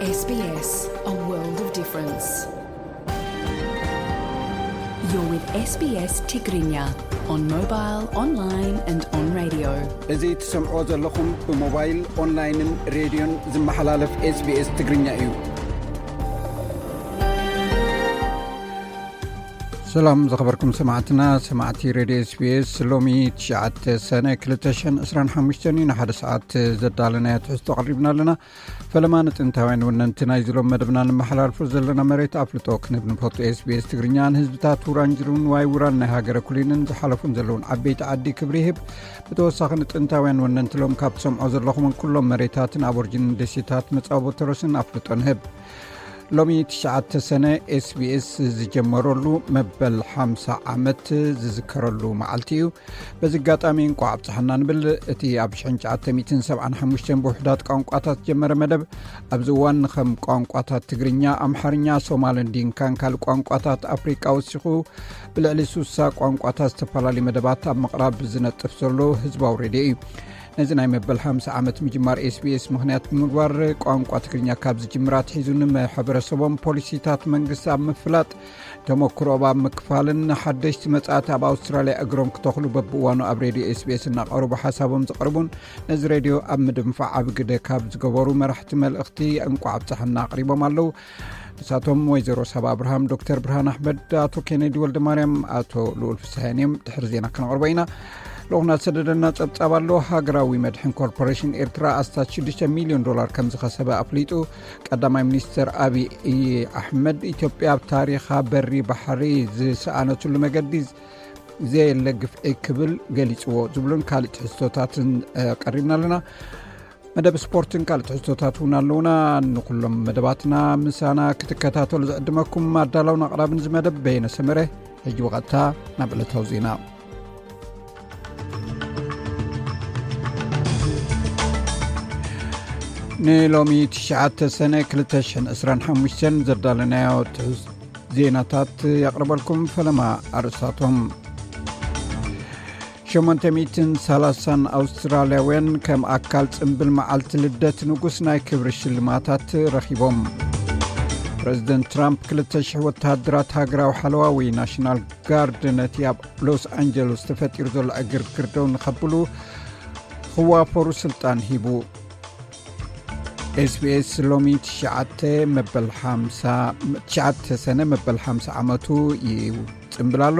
S B S, a world of difference. You're with S B S Tigrinya on mobile, online and on radio. እዚ ትሰምዖ ዘለኹም ብሞባይል፣ ኦንላይንን ሬድዮን ዝመሓላለፍ S B S ትግርኛ እዩ። ሰላም ዝኸበርኩም ሰማዕትና፣ ሰማዕቲ ሬድዮ S B S፣ ሎሚ ትሽዓተ ሰነ ክልተ ሽሕን ዕስራን ሓሙሽተን እዩ። ንሓደ ሰዓት ዘዳለናዮ ትሕዝቶ ኣቕሪብና ኣለና። ፈለማ ንጥንታውያን ወነንቲ ናይዚ ሎም መደብና ንመሓላልፎ ዘለና መሬት ኣፍልጦ ክንህብ ንፈቱ። S B S ትግርኛ ንህዝብታት ውራንጅሩን ዋይ ውራን ናይ ሃገረ ኩሊንን ዝሓለፉን ዘለውን ዓበይቲ ዓዲ ክብሪ ይህብ። ብተወሳኺ ንጥንታውያን ወነንቲ ሎም ካብ ትሰምዖ ዘለኹምን ኩሎም መሬታትን ኣብ ኦርጅንን ደሴታት መጻወቦ ተረስን ኣፍልጦ ንህብ። ሎሚ ትሽዓተ ሰነ S B S ዝጀመረሉ መበል ሓምሳ ዓመት ዝዝከረሉ መዓልቲ እዩ። በዚ ኣጋጣሚ እንቋዕ ኣብጽሓና ንብል። እቲ ኣብ ሽሕን ትሽዓተ ሚእትን ሰብዓን ሓሙሽተን ብውሑዳት ቋንቋታት ዝጀመረ መደብ ኣብዚ እዋን ንኸም ቋንቋታት ትግርኛ፣ ኣምሓርኛ፣ ሶማልን ዲንካን ካልእ ቋንቋታት ኣፍሪቃ ወሲኹ ብልዕሊ ሱሳ ቋንቋታት ዝተፈላለዩ መደባት ኣብ ምቕራብ ዝነጥፍ ዘሎ ህዝባዊ ሬድዮ እዩ። ነዚ ናይ መበል ሓምሳ ዓመት ምጅማር S B S ምኽንያት ብምግባር፣ ቋንቋ ትግርኛ ካብ ዝጅምር ኣትሒዙ ንማሕበረሰቦም ፖሊሲታት መንግስቲ ኣብ ምፍላጥ፣ ተመክሮኦም ኣብ ምክፋልን ሓደሽቲ መጻእቲ ኣብ ኣውስትራልያ እግሮም ክተኽሉ በብእዋኑ ኣብ ሬድዮ S B S እናቐረቡ ሓሳቦም ዘቕርቡን ነዚ ሬድዮ ኣብ ምድንፋዕ ዓቢ ግደ ካብ ዝገበሩ መራሕቲ መልእኽቲ እንቋዕ ኣብጽሓና ኣቕሪቦም ኣለዉ። ንሳቶም ወይዘሮ ሳባ ኣብርሃም፣ ዶክተር ብርሃን ኣሕመድ፣ ኣቶ ኬኔዲ ወልደ ማርያም፣ ኣቶ ልኡል ፍስሃየን እዮም። ድሕሪ ዜና ክነቕርቦ ኢና። ልኡኽና ዝሰደደልና ጸብጻብ ኣሎ። ሃገራዊ መድሕን ኮርፖሬሽን ኤርትራ ኣስታት ሽዱሽተ ሚልዮን ዶላር ከም ዝኸሰበ ኣፍሊጡ። ቀዳማይ ሚኒስትር ኣብይ ኣሕመድ፣ ኢትዮጵያ ኣብ ታሪኻ በሪ ባሕሪ ዝሰኣነትሉ መገዲ ዘየለ ግፍዒ ክብል ገሊጽዎ፣ ዝብሉን ካልእ ትሕዝቶታትን፣ እ፣ ቀሪብና ኣለና። መደብ ስፖርትን ካልእ ትሕዝቶታት እውን ኣለውና። ንኩሎም መደባትና ምሳና ክትከታተሉ ዝዕድመኩም ኣዳላውን ኣቕራብን እዚ መደብ በየነ ሰመረ። ሕጂ ብቐጥታ ናብ ዕለታዊ ዜና። ንሎሚ ትሽዓተ ሰነ ክልተ ሽሕን ዕስራን ሓሙሽተን ዘዳለናዮ ትሕዝ-፣ ዜናታት የቕርበልኩም። ፈለማ ኣርእስታቶም። ሸሞንተ ሚእትን ሰላሳን ኣውስትራልያውያን ከም ኣካል ጽምብል መዓልቲ ልደት ንጉስ ናይ ክብሪ ሽልማታት ረኺቦም። ፕረዚደንት ትራምፕ ክልተ ሽሕ ወተሃደራት ሃገራዊ ሓለዋ ወይ ናሽናል ጋርድ ነቲ ኣብ ሎስ ኣንጀለስ ተፈጢሩ ዘሎ ዕግርግር ደው ንኸብሉ ክዋፈሩ ስልጣን ሂቡ። S B S ሎሚ ትሽዓተ መበል ሓምሳ፣ ትሽዓተ ሰነ መበል ሓምሳ ዓመቱ ይጽምብል ኣሎ።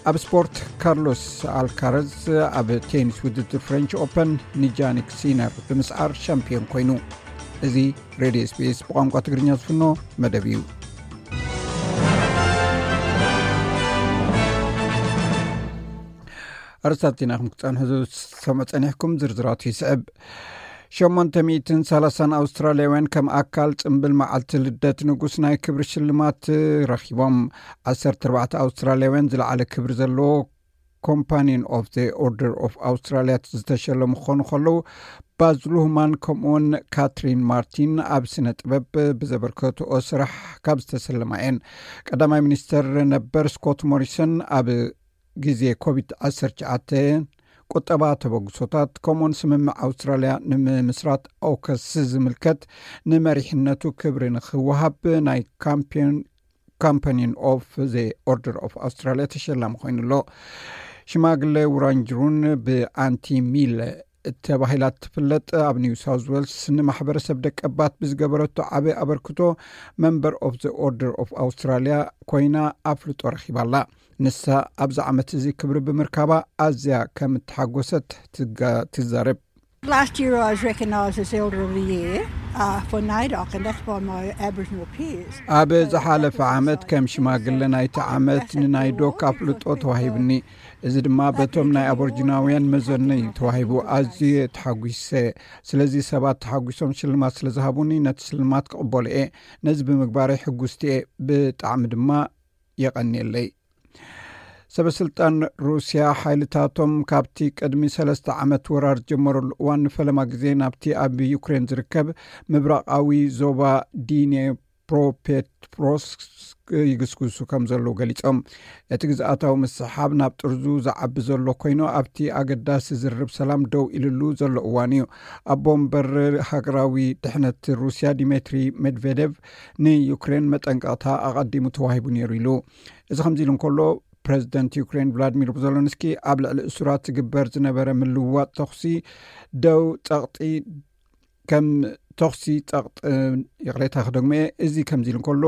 ኣብ ስፖርት፣ ካርሎስ ኣልካረዝ ኣብ ቴኒስ ውድድር ፍሬንች ኦፐን ንጃኒክ ሲነር ብምስዓር ሻምፒዮን ኮይኑ። እዚ ሬድዮ S B S ብቋንቋ ትግርኛ ዝፍኖ መደብ እዩ። ኣርእስታት ዜና ከም ክትጸንሑ ዝሰምዑ ጸኒሕኩም፣ ዝርዝራቱ ይስዕብ። ሸሞንተ ሚእትን ሰላሳን ኣውስትራልያውያን ከም ኣካል ጽምብል መዓልቲ ልደት ንጉስ ናይ ክብሪ ሽልማት ረኺቦም። ዓሰርተ ኣርባዕተ ኣውስትራልያውያን ዝለዓለ ክብሪ ዘለዎ ኮምፓኒን ኦፍ ዘ ኦርደር ኦፍ ኣውስትራልያ ዝተሸለሙ ክኾኑ ከለዉ፣ ባዝ ሉህማን ከምኡውን ካትሪን ማርቲን ኣብ ስነ ጥበብ ብዘበርከትኦ ስራሕ ካብ ዝተሰለማ እየን። ቀዳማይ ሚኒስተር ነበር ስኮት ሞሪሰን ኣብ ግዜ ኮቪድ ዓሰርተ ትሽዓተ ቁጠባ ተበግሶታት ከምኡውን ስምምዕ ኣውስትራልያ ንምምስራት ኣውከስ ዝምልከት ንመሪሕነቱ ክብሪ ንክወሃብ ናይ ካምፔን ካምፓኒን ኦፍ ዘ ኦርደር ኦፍ ኣውስትራልያ ተሸላሚ ኮይኑ ኣሎ። ሽማግለ ውራንጅሩን ብኣንቲ ሚል ተባሂላ እትፍለጥ ኣብ ኒው ሳውዝ ዌልስ ንማሕበረሰብ ደቀባት ብዝገበረቶ ዓቢ ኣበርክቶ መንበር ኦፍ ዘ ኦርደር ኦፍ ኣውስትራልያ ኮይና ኣፍልጦ ረኺባ ኣላ። ንሳ ኣብዚ ዓመት እዚ ክብሪ ብምርካባ ኣዝያ ከም እተሓጎሰት ትጋ-፣ ትዛረብ። Last year I was recognised as Elder of the Year, uh, for naidoc, and that's by my Aboriginal peers. ኣብ ዝሓለፈ ዓመት ከም ሽማግለ ናይቲ ዓመት ንናይዶክ ኣፍልጦ ተዋሂብኒ። እዚ ድማ በቶም ናይ ኣቦርጂናውያን መዘነይ ተዋሂቡ። ኣዝየ ተሓጒሰ። ስለዚ ሰባት ተሓጒሶም ሽልማት ስለ ዝሃቡኒ ነቲ ሽልማት ክቕበሎ እየ። ነዚ ብምግባረይ ሕጉስቲ እየ። ብጣዕሚ ድማ የቐንየለይ። ሰበ ስልጣን ሩስያ ሓይልታቶም ካብቲ ቅድሚ ሰለስተ ዓመት ወራር ዝጀመረሉ እዋን ንፈለማ ግዜ ናብቲ ኣብ ዩክሬን ዝርከብ ምብራቓዊ ዞባ ዲኔ ፕሮፔትሮስክ ይግስግሱ ከም ዘለዉ ገሊጾም። እቲ ግዝኣታዊ ምስሓብ ናብ ጥርዙ ዝዓቢ ዘሎ ኮይኑ፣ ኣብቲ ኣገዳሲ ዝርብ ሰላም ደው ኢልሉ ዘሎ እዋን እዩ። ኣቦ ወንበር ሃገራዊ ድሕነት ሩስያ ዲሜትሪ ሜድቬዴቭ ንዩክሬን መጠንቀቕታ ኣቐዲሙ ተዋሂቡ ነይሩ ኢሉ። እዚ ከምዚ ኢሉ እንከሎ፣ ፕሬዚደንት ዩክሬን ቭላድሚር ዜለንስኪ ኣብ ልዕሊ እሱራት ዝግበር ዝነበረ ምልውዋጥ ተኹሲ ደው ጸቕጢ ከም ተኹሲ ጸቕጢ፣ ይቕሬታ ክደግሞ እየ፣ እዚ ከምዚ ኢሉ እንከሎ፣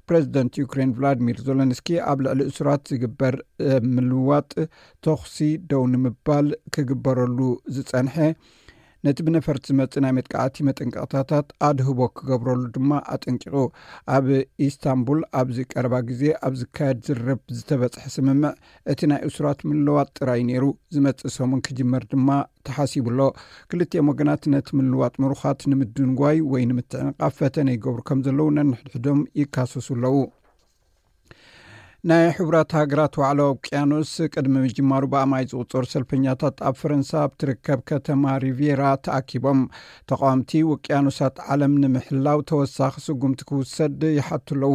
ፕሬዚደንት ዩክሬን ቭላድሚር ዜለንስኪ ኣብ ልዕሊ እሱራት ዝግበር ምልዋጥ ተኹሲ ደው ንምባል ክግበረሉ ዝጸንሐ፣ ነቲ ብነፈርቲ ዝመጽእ ናይ መጥቃዕቲ መጠንቀቕታታት ኣድህቦ ክገብረሉ ድማ ኣጠንቂቑ። ኣብ ኢስታንቡል ኣብዚ ቀረባ ግዜ ኣብ ዝካየድ ዝርብ ዝተበጽሐ ስምምዕ፣ እቲ ናይ እሱራት ምልዋጥ ጥራይ ነይሩ፣ ዝመጽእ ሰሙን ክጅመር ድማ ተሓሲቡ ኣሎ። ክልቲኦም ወገናት ነቲ ምልዋጥ ምሩኻት ንምድንጓይ ወይ ንምትዕንቓፍ ፈተነ ይገብሩ ከም ዘለዉ ነንሕድሕዶም ይካሰሱ ኣለዉ። ናይ ሕቡራት ሃገራት ዋዕላ ውቅያኖስ ቅድሚ ምጅማሩ ብኣማይ ዝቑጸሩ ሰልፈኛታት ኣብ ፈረንሳ ኣብ ትርከብ ከተማ ሪቪራ ተኣኪቦም። ተቃወምቲ ውቅያኖሳት ዓለም ንምሕላው ተወሳኺ ስጉምቲ ክውሰድ ይሓቱ ኣለዉ።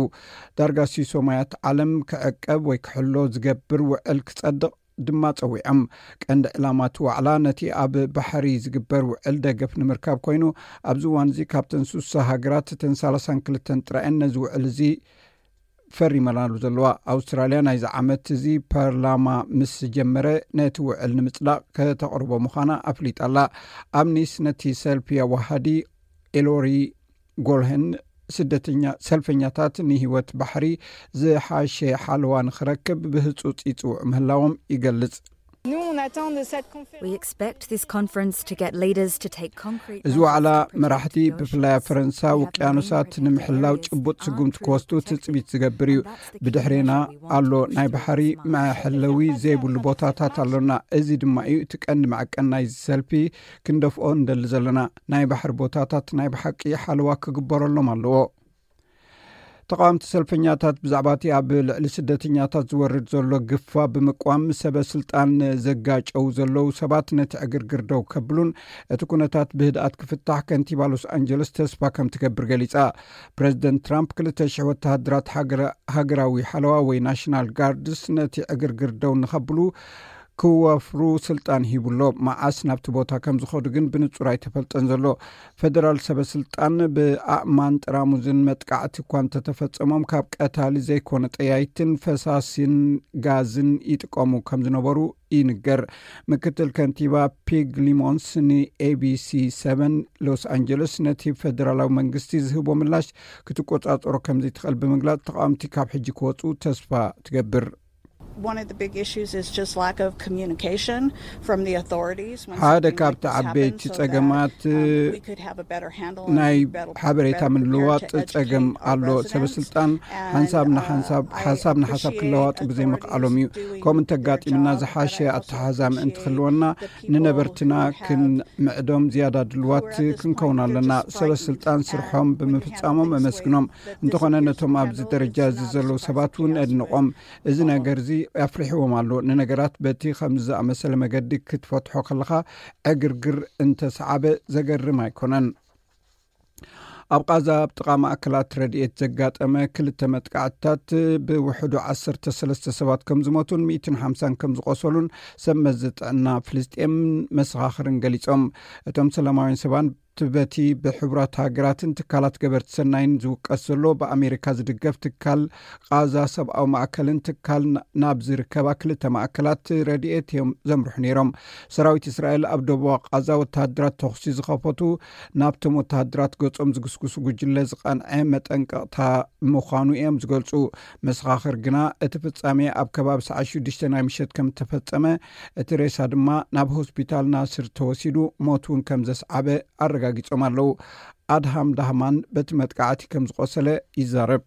ዳርጋ ሲሶማያት ዓለም ክዕቀብ ወይ ክሕሎ ዝገብር ውዕል ክጸድቕ ድማ ጸዊዖም። ቀንዲ ዕላማ እቲ ዋዕላ ነቲ ኣብ ባሕሪ ዝግበር ውዕል ደገፍ ንምርካብ ኮይኑ፣ ኣብዚ እዋን እዚ ካብተን ስሳ ሃገራት እተን ሰላሳን ክልተን ጥራየን ነዚ ውዕል እዚ ፈሪመናሉ ዘለዋ። ኣውስትራልያ ናይዚ ዓመት እዚ ፓርላማ ምስ ጀመረ ነቲ ውዕል ንምጽዳቕ ከተቕርቦ ምዃና ኣፍሊጣ ኣላ። ኣብ ኒስ ነቲ ሰልፊ ኣዋሃዲ ኤሎሪ ጎልሄን፣ ስደተኛ ሰልፈኛታት ንህይወት ባሕሪ ዝሓሸ ሓለዋ ንኽረክብ ብህጹጽ ይጽውዑ ምህላዎም ይገልጽ። We expect this conference to get leaders to take concrete እዚ ዋዕላ መራሕቲ ብፍላይ ኣብ ፈረንሳ ውቅያኖሳት ንምሕላው ጭቡጥ ስጉምቲ ክወስዱ ትጽቢት ዝገብር እዩ። ብድሕሬና ኣሎ ናይ ባሕሪ መሐለዊ ዘይብሉ ቦታታት ኣሎና። እዚ ድማ እዩ እቲ ቀንዲ መዐቀን ናይዚ ሰልፊ ክንደፍኦ እንደሊ ዘለና። ናይ ባሕሪ ቦታታት ናይ ብሓቂ ሓለዋ ክግበረሎም ኣለዎ። ተቃወምቲ ሰልፈኛታት ብዛዕባ እቲ ኣብ ልዕሊ ስደተኛታት ዝወርድ ዘሎ ግፋ ብምቅዋም ሰበ ስልጣን ዘጋጨው ዘለዉ ሰባት ነቲ ዕግርግር ደው ከብሉን እቲ ኩነታት ብህድኣት ክፍታሕ ከንቲባ ሎስ ኣንጀለስ ተስፋ ከም ትገብር ገሊጻ። ፕሬዚደንት ትራምፕ ክልተ ሽሕ ወተሃደራት ሃገራዊ ሓለዋ ወይ ናሽናል ጋርድስ ነቲ ዕግርግር ደው ንኸብሉ ክወፍሩ ስልጣን ሂቡሎ። መዓስ ናብቲ ቦታ ከም ዝኸዱ ግን ብንጹር ኣይተፈልጠን ዘሎ። ፈደራል ሰበ ስልጣን ብኣእማን ጥራሙዝን መጥቃዕቲ እኳ እንተተፈጸሞም ካብ ቀታሊ ዘይኮነ ጠያይትን ፈሳሲን ጋዝን ይጥቀሙ ከም ዝነበሩ ይንገር። ምክትል ከንቲባ ፒግ ሊሞንስ ን ኤቢሲ ሰቨን ሎስ ኣንጀለስ ነቲ ፈደራላዊ መንግስቲ ዝህቦ ምላሽ ክትቆጻጸሮ ከም ዘይትኽእል ብምግላጽ ተቃወምቲ ካብ ሕጂ ክወጹ ተስፋ ትገብር። One of the big issues is just lack of communication from the authorities. ሓደ ካብቲ ዓበይቲ ጸገማት ናይ ሓበሬታ ምልዋጥ ጸገም ኣሎ። ሰበ ስልጣን ሓንሳብ ንሓንሳብ ሓሳብ ንሓሳብ ክለዋጡ ብዘይምኽኣሎም እዩ። ከምኡ እንተጋጢምና ዝሓሸ ኣተሓዛ ምእንቲ ክህልወና ንነበርትና ክንምዕዶም ዝያዳ ድልዋት ክንከውን ኣለና። ሰበ ስልጣን ስርሖም ብምፍጻሞም ኣመስግኖም። እንተኾነ ነቶም ኣብዚ ደረጃ እዚ ዘለዉ ሰባት እውን ኣድንቖም። እዚ ነገር እዚ ኣፍሪሕዎም ኣሎ። ንነገራት በቲ ከምዚ ዝኣመሰለ መገዲ ክትፈትሖ ከለኻ ዕግርግር እንተሰዓበ ዘገርም ኣይኮነን። ኣብ ቃዛ ኣብ ጥቓ ማእከላት ረድኤት ዘጋጠመ ክልተ መጥቃዕትታት ብውሕዱ ዓሰርተ ሰለስተ ሰባት ከም ዝሞቱን ሚእትን ሓምሳን ከም ዝቆሰሉን ሰብ መዚ ጥዕና ፍልስጤምን መሰኻኽርን ገሊጾም። እቶም ሰላማውያን ሰባን በቲ ብሕቡራት ሃገራትን ትካላት ገበርቲ ሰናይን ዝውቀስ ዘሎ ብኣሜሪካ ዝድገፍ ትካል ቃዛ ሰብኣዊ ማእከልን ትካል ናብ ዝርከባ ክልተ ማእከላት ረድኤት እዮም ዘምርሑ ነይሮም። ሰራዊት እስራኤል ኣብ ደቡብ ቃዛ ወተሃደራት ተኹሲ ዝኸፈቱ ናብቶም ወተሃደራት ገጾም ዝግስግሱ ጉጅለ ዝቐንዐ መጠንቀቕታ ምዃኑ እዮም ዝገልጹ። መሰኻኽር ግና እቲ ፍጻሜ ኣብ ከባቢ ሰዓት ሽዱሽተ ናይ ምሸት ከም እተፈጸመ፣ እቲ ሬሳ ድማ ናብ ሆስፒታል ናስር ተወሲዱ ሞት እውን ከም ዘስዓበ ኣረጋጊጾም ኣለዉ። ኣድሃም ዳህማን በቲ መጥቃዕቲ ከም ዝቆሰለ ይዛረብ።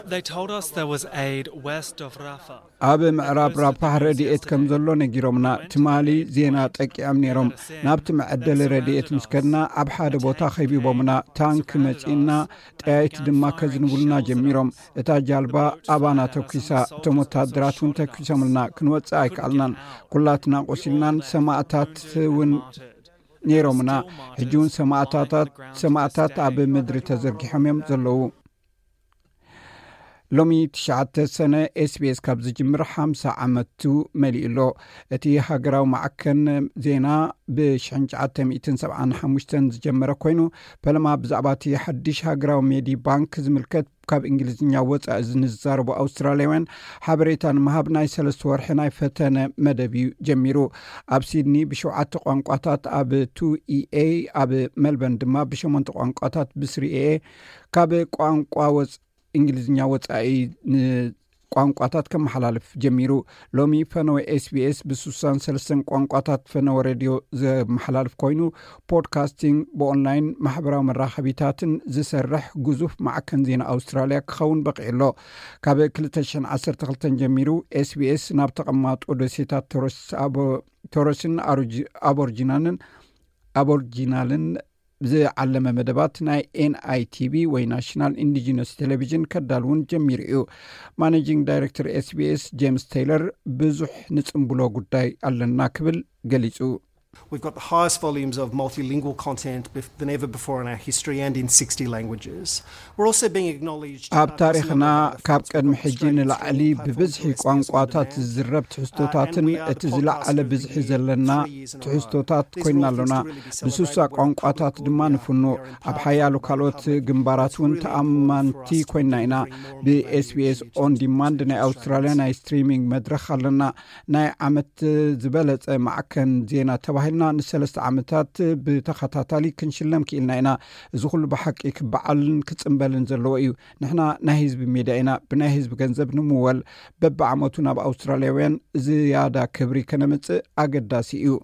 They told us there was aid west of Rafah. ኣብ ምዕራብ ራፋህ ረድኤት ከም ዘሎ ነጊሮምና። ትማሊ ዜና ጠቂዖም ነይሮም። ናብቲ መዐደሊ ረድኤት ምስ ከድና ኣብ ሓደ ቦታ ከቢቦምና። ታንክ መጺእና፣ ጠያይቲ ድማ ከዝንቡልና ጀሚሮም። እታ ጃልባ ኣባና ተኲሳ። እቶም ወተሃደራት እውን ተኲሶምልና። ክንወጽእ ኣይከኣልናን። ኩላትና ቆሲልናን ሰማእታት እውን ነይሮምና። ሕጂ እውን ሰማእታታት ሰማእታት ኣብ ምድሪ ተዘርጊሖም እዮም ዘለዉ። ሎሚ ትሽዓተ ሰነ ኤስቢኤስ ካብ ዝጅምር ሓምሳ ዓመቱ መሊኡ ኣሎ። እቲ ሃገራዊ ማዕከን ዜና ብ ሽሕን ትሽዓተ ሚእትን ሰብዓን ሓሙሽተን ዝጀመረ ኮይኑ፣ ፈለማ ብዛዕባ እቲ ሓድሽ ሃገራዊ ሜዲ ባንክ ዝምልከት ካብ እንግሊዝኛ ወፃኢ ንዝዛረቡ ኣውስትራልያውያን ሓበሬታ ንምሃብ ናይ ሰለስተ ወርሒ ናይ ፈተነ መደብ እዩ ጀሚሩ። ኣብ ሲድኒ ብሸውዓተ ቋንቋታት፣ ኣብ ቱ ኢኤ፣ ኣብ ሜልበርን ድማ ብሸሞንተ ቋንቋታት ብስሪ ኤኤ ካብ ቋንቋ ወፅ እንግሊዝኛ ወፃኢ ንቋንቋታት ከመሓላልፍ ጀሚሩ። ሎሚ ፈነወ ኤስቢኤስ ብስሳን ሰለስተን ቋንቋታት ፈነወ ሬድዮ ዘመሓላልፍ ኮይኑ፣ ፖድካስቲንግ፣ ብኦንላይን ማሕበራዊ መራኸቢታትን ዝሰርሕ ግዙፍ ማዕከን ዜና ኣውስትራልያ ክኸውን በቂዑ ኣሎ። ካብ ክልተ ሽሕን ዓሰርተ ክልተን ጀሚሩ ኤስቢኤስ ናብ ተቐማጦ ደሴታት ቶረስ ኣቦ- ቶረስን ኣሮጂ- ኣቦርጂናንን ኣቦርጂናልን ዝዓለመ መደባት ናይ ኤንኣይቲቪ ወይ ናሽናል ኢንዲጂነስ ቴሌቪዥን ከዳልውን ጀሚሩ እዩ። ማኔጂንግ ዳይሬክተር ኤስቢኤስ ጄምስ ቴይለር፣ ብዙሕ ንጽንብሎ ጉዳይ ኣለና ክብል ገሊጹ። We've got the highest volumes of multilingual content bef- than ever before in our history and in sixty languages. We're also being acknowledged ኣብ ታሪኽና ካብ ቀድሚ ሕጂ ንላዕሊ ብብዝሒ ቋንቋታት ዝዝረብ ትሕዝቶታትን እቲ ዝለዓለ ብዝሒ ዘለና ትሕዝቶታት ኮይና ኣሎና። ብስሳ ቋንቋታት ድማ ንፍኑ። ኣብ ሓያሎ ካልኦት ግንባራት እውን ተኣማንቲ ኮይና ኢና። ብኤስቢኤስ ኦን ዲማንድ ናይ ኣውስትራልያ ናይ ስትሪሚንግ መድረኽ ኣለና። ናይ ዓመት ዝበለጸ ማዕከን ዜና ተባሂልና ንሰለስተ ዓመታት ብተኸታታሊ ክንሽለም ክኢልና ኢና። እዚ ኩሉ ብሓቂ ክበዓልን ክጽንበልን ዘለዎ እዩ። ንሕና ናይ ህዝቢ ሜድያ ኢና። ብናይ ህዝቢ ገንዘብ ንምወል በብዓመቱ ናብ ኣውስትራልያውያን ዝያዳ ክብሪ ከነምጽእ ኣገዳሲ እዩ።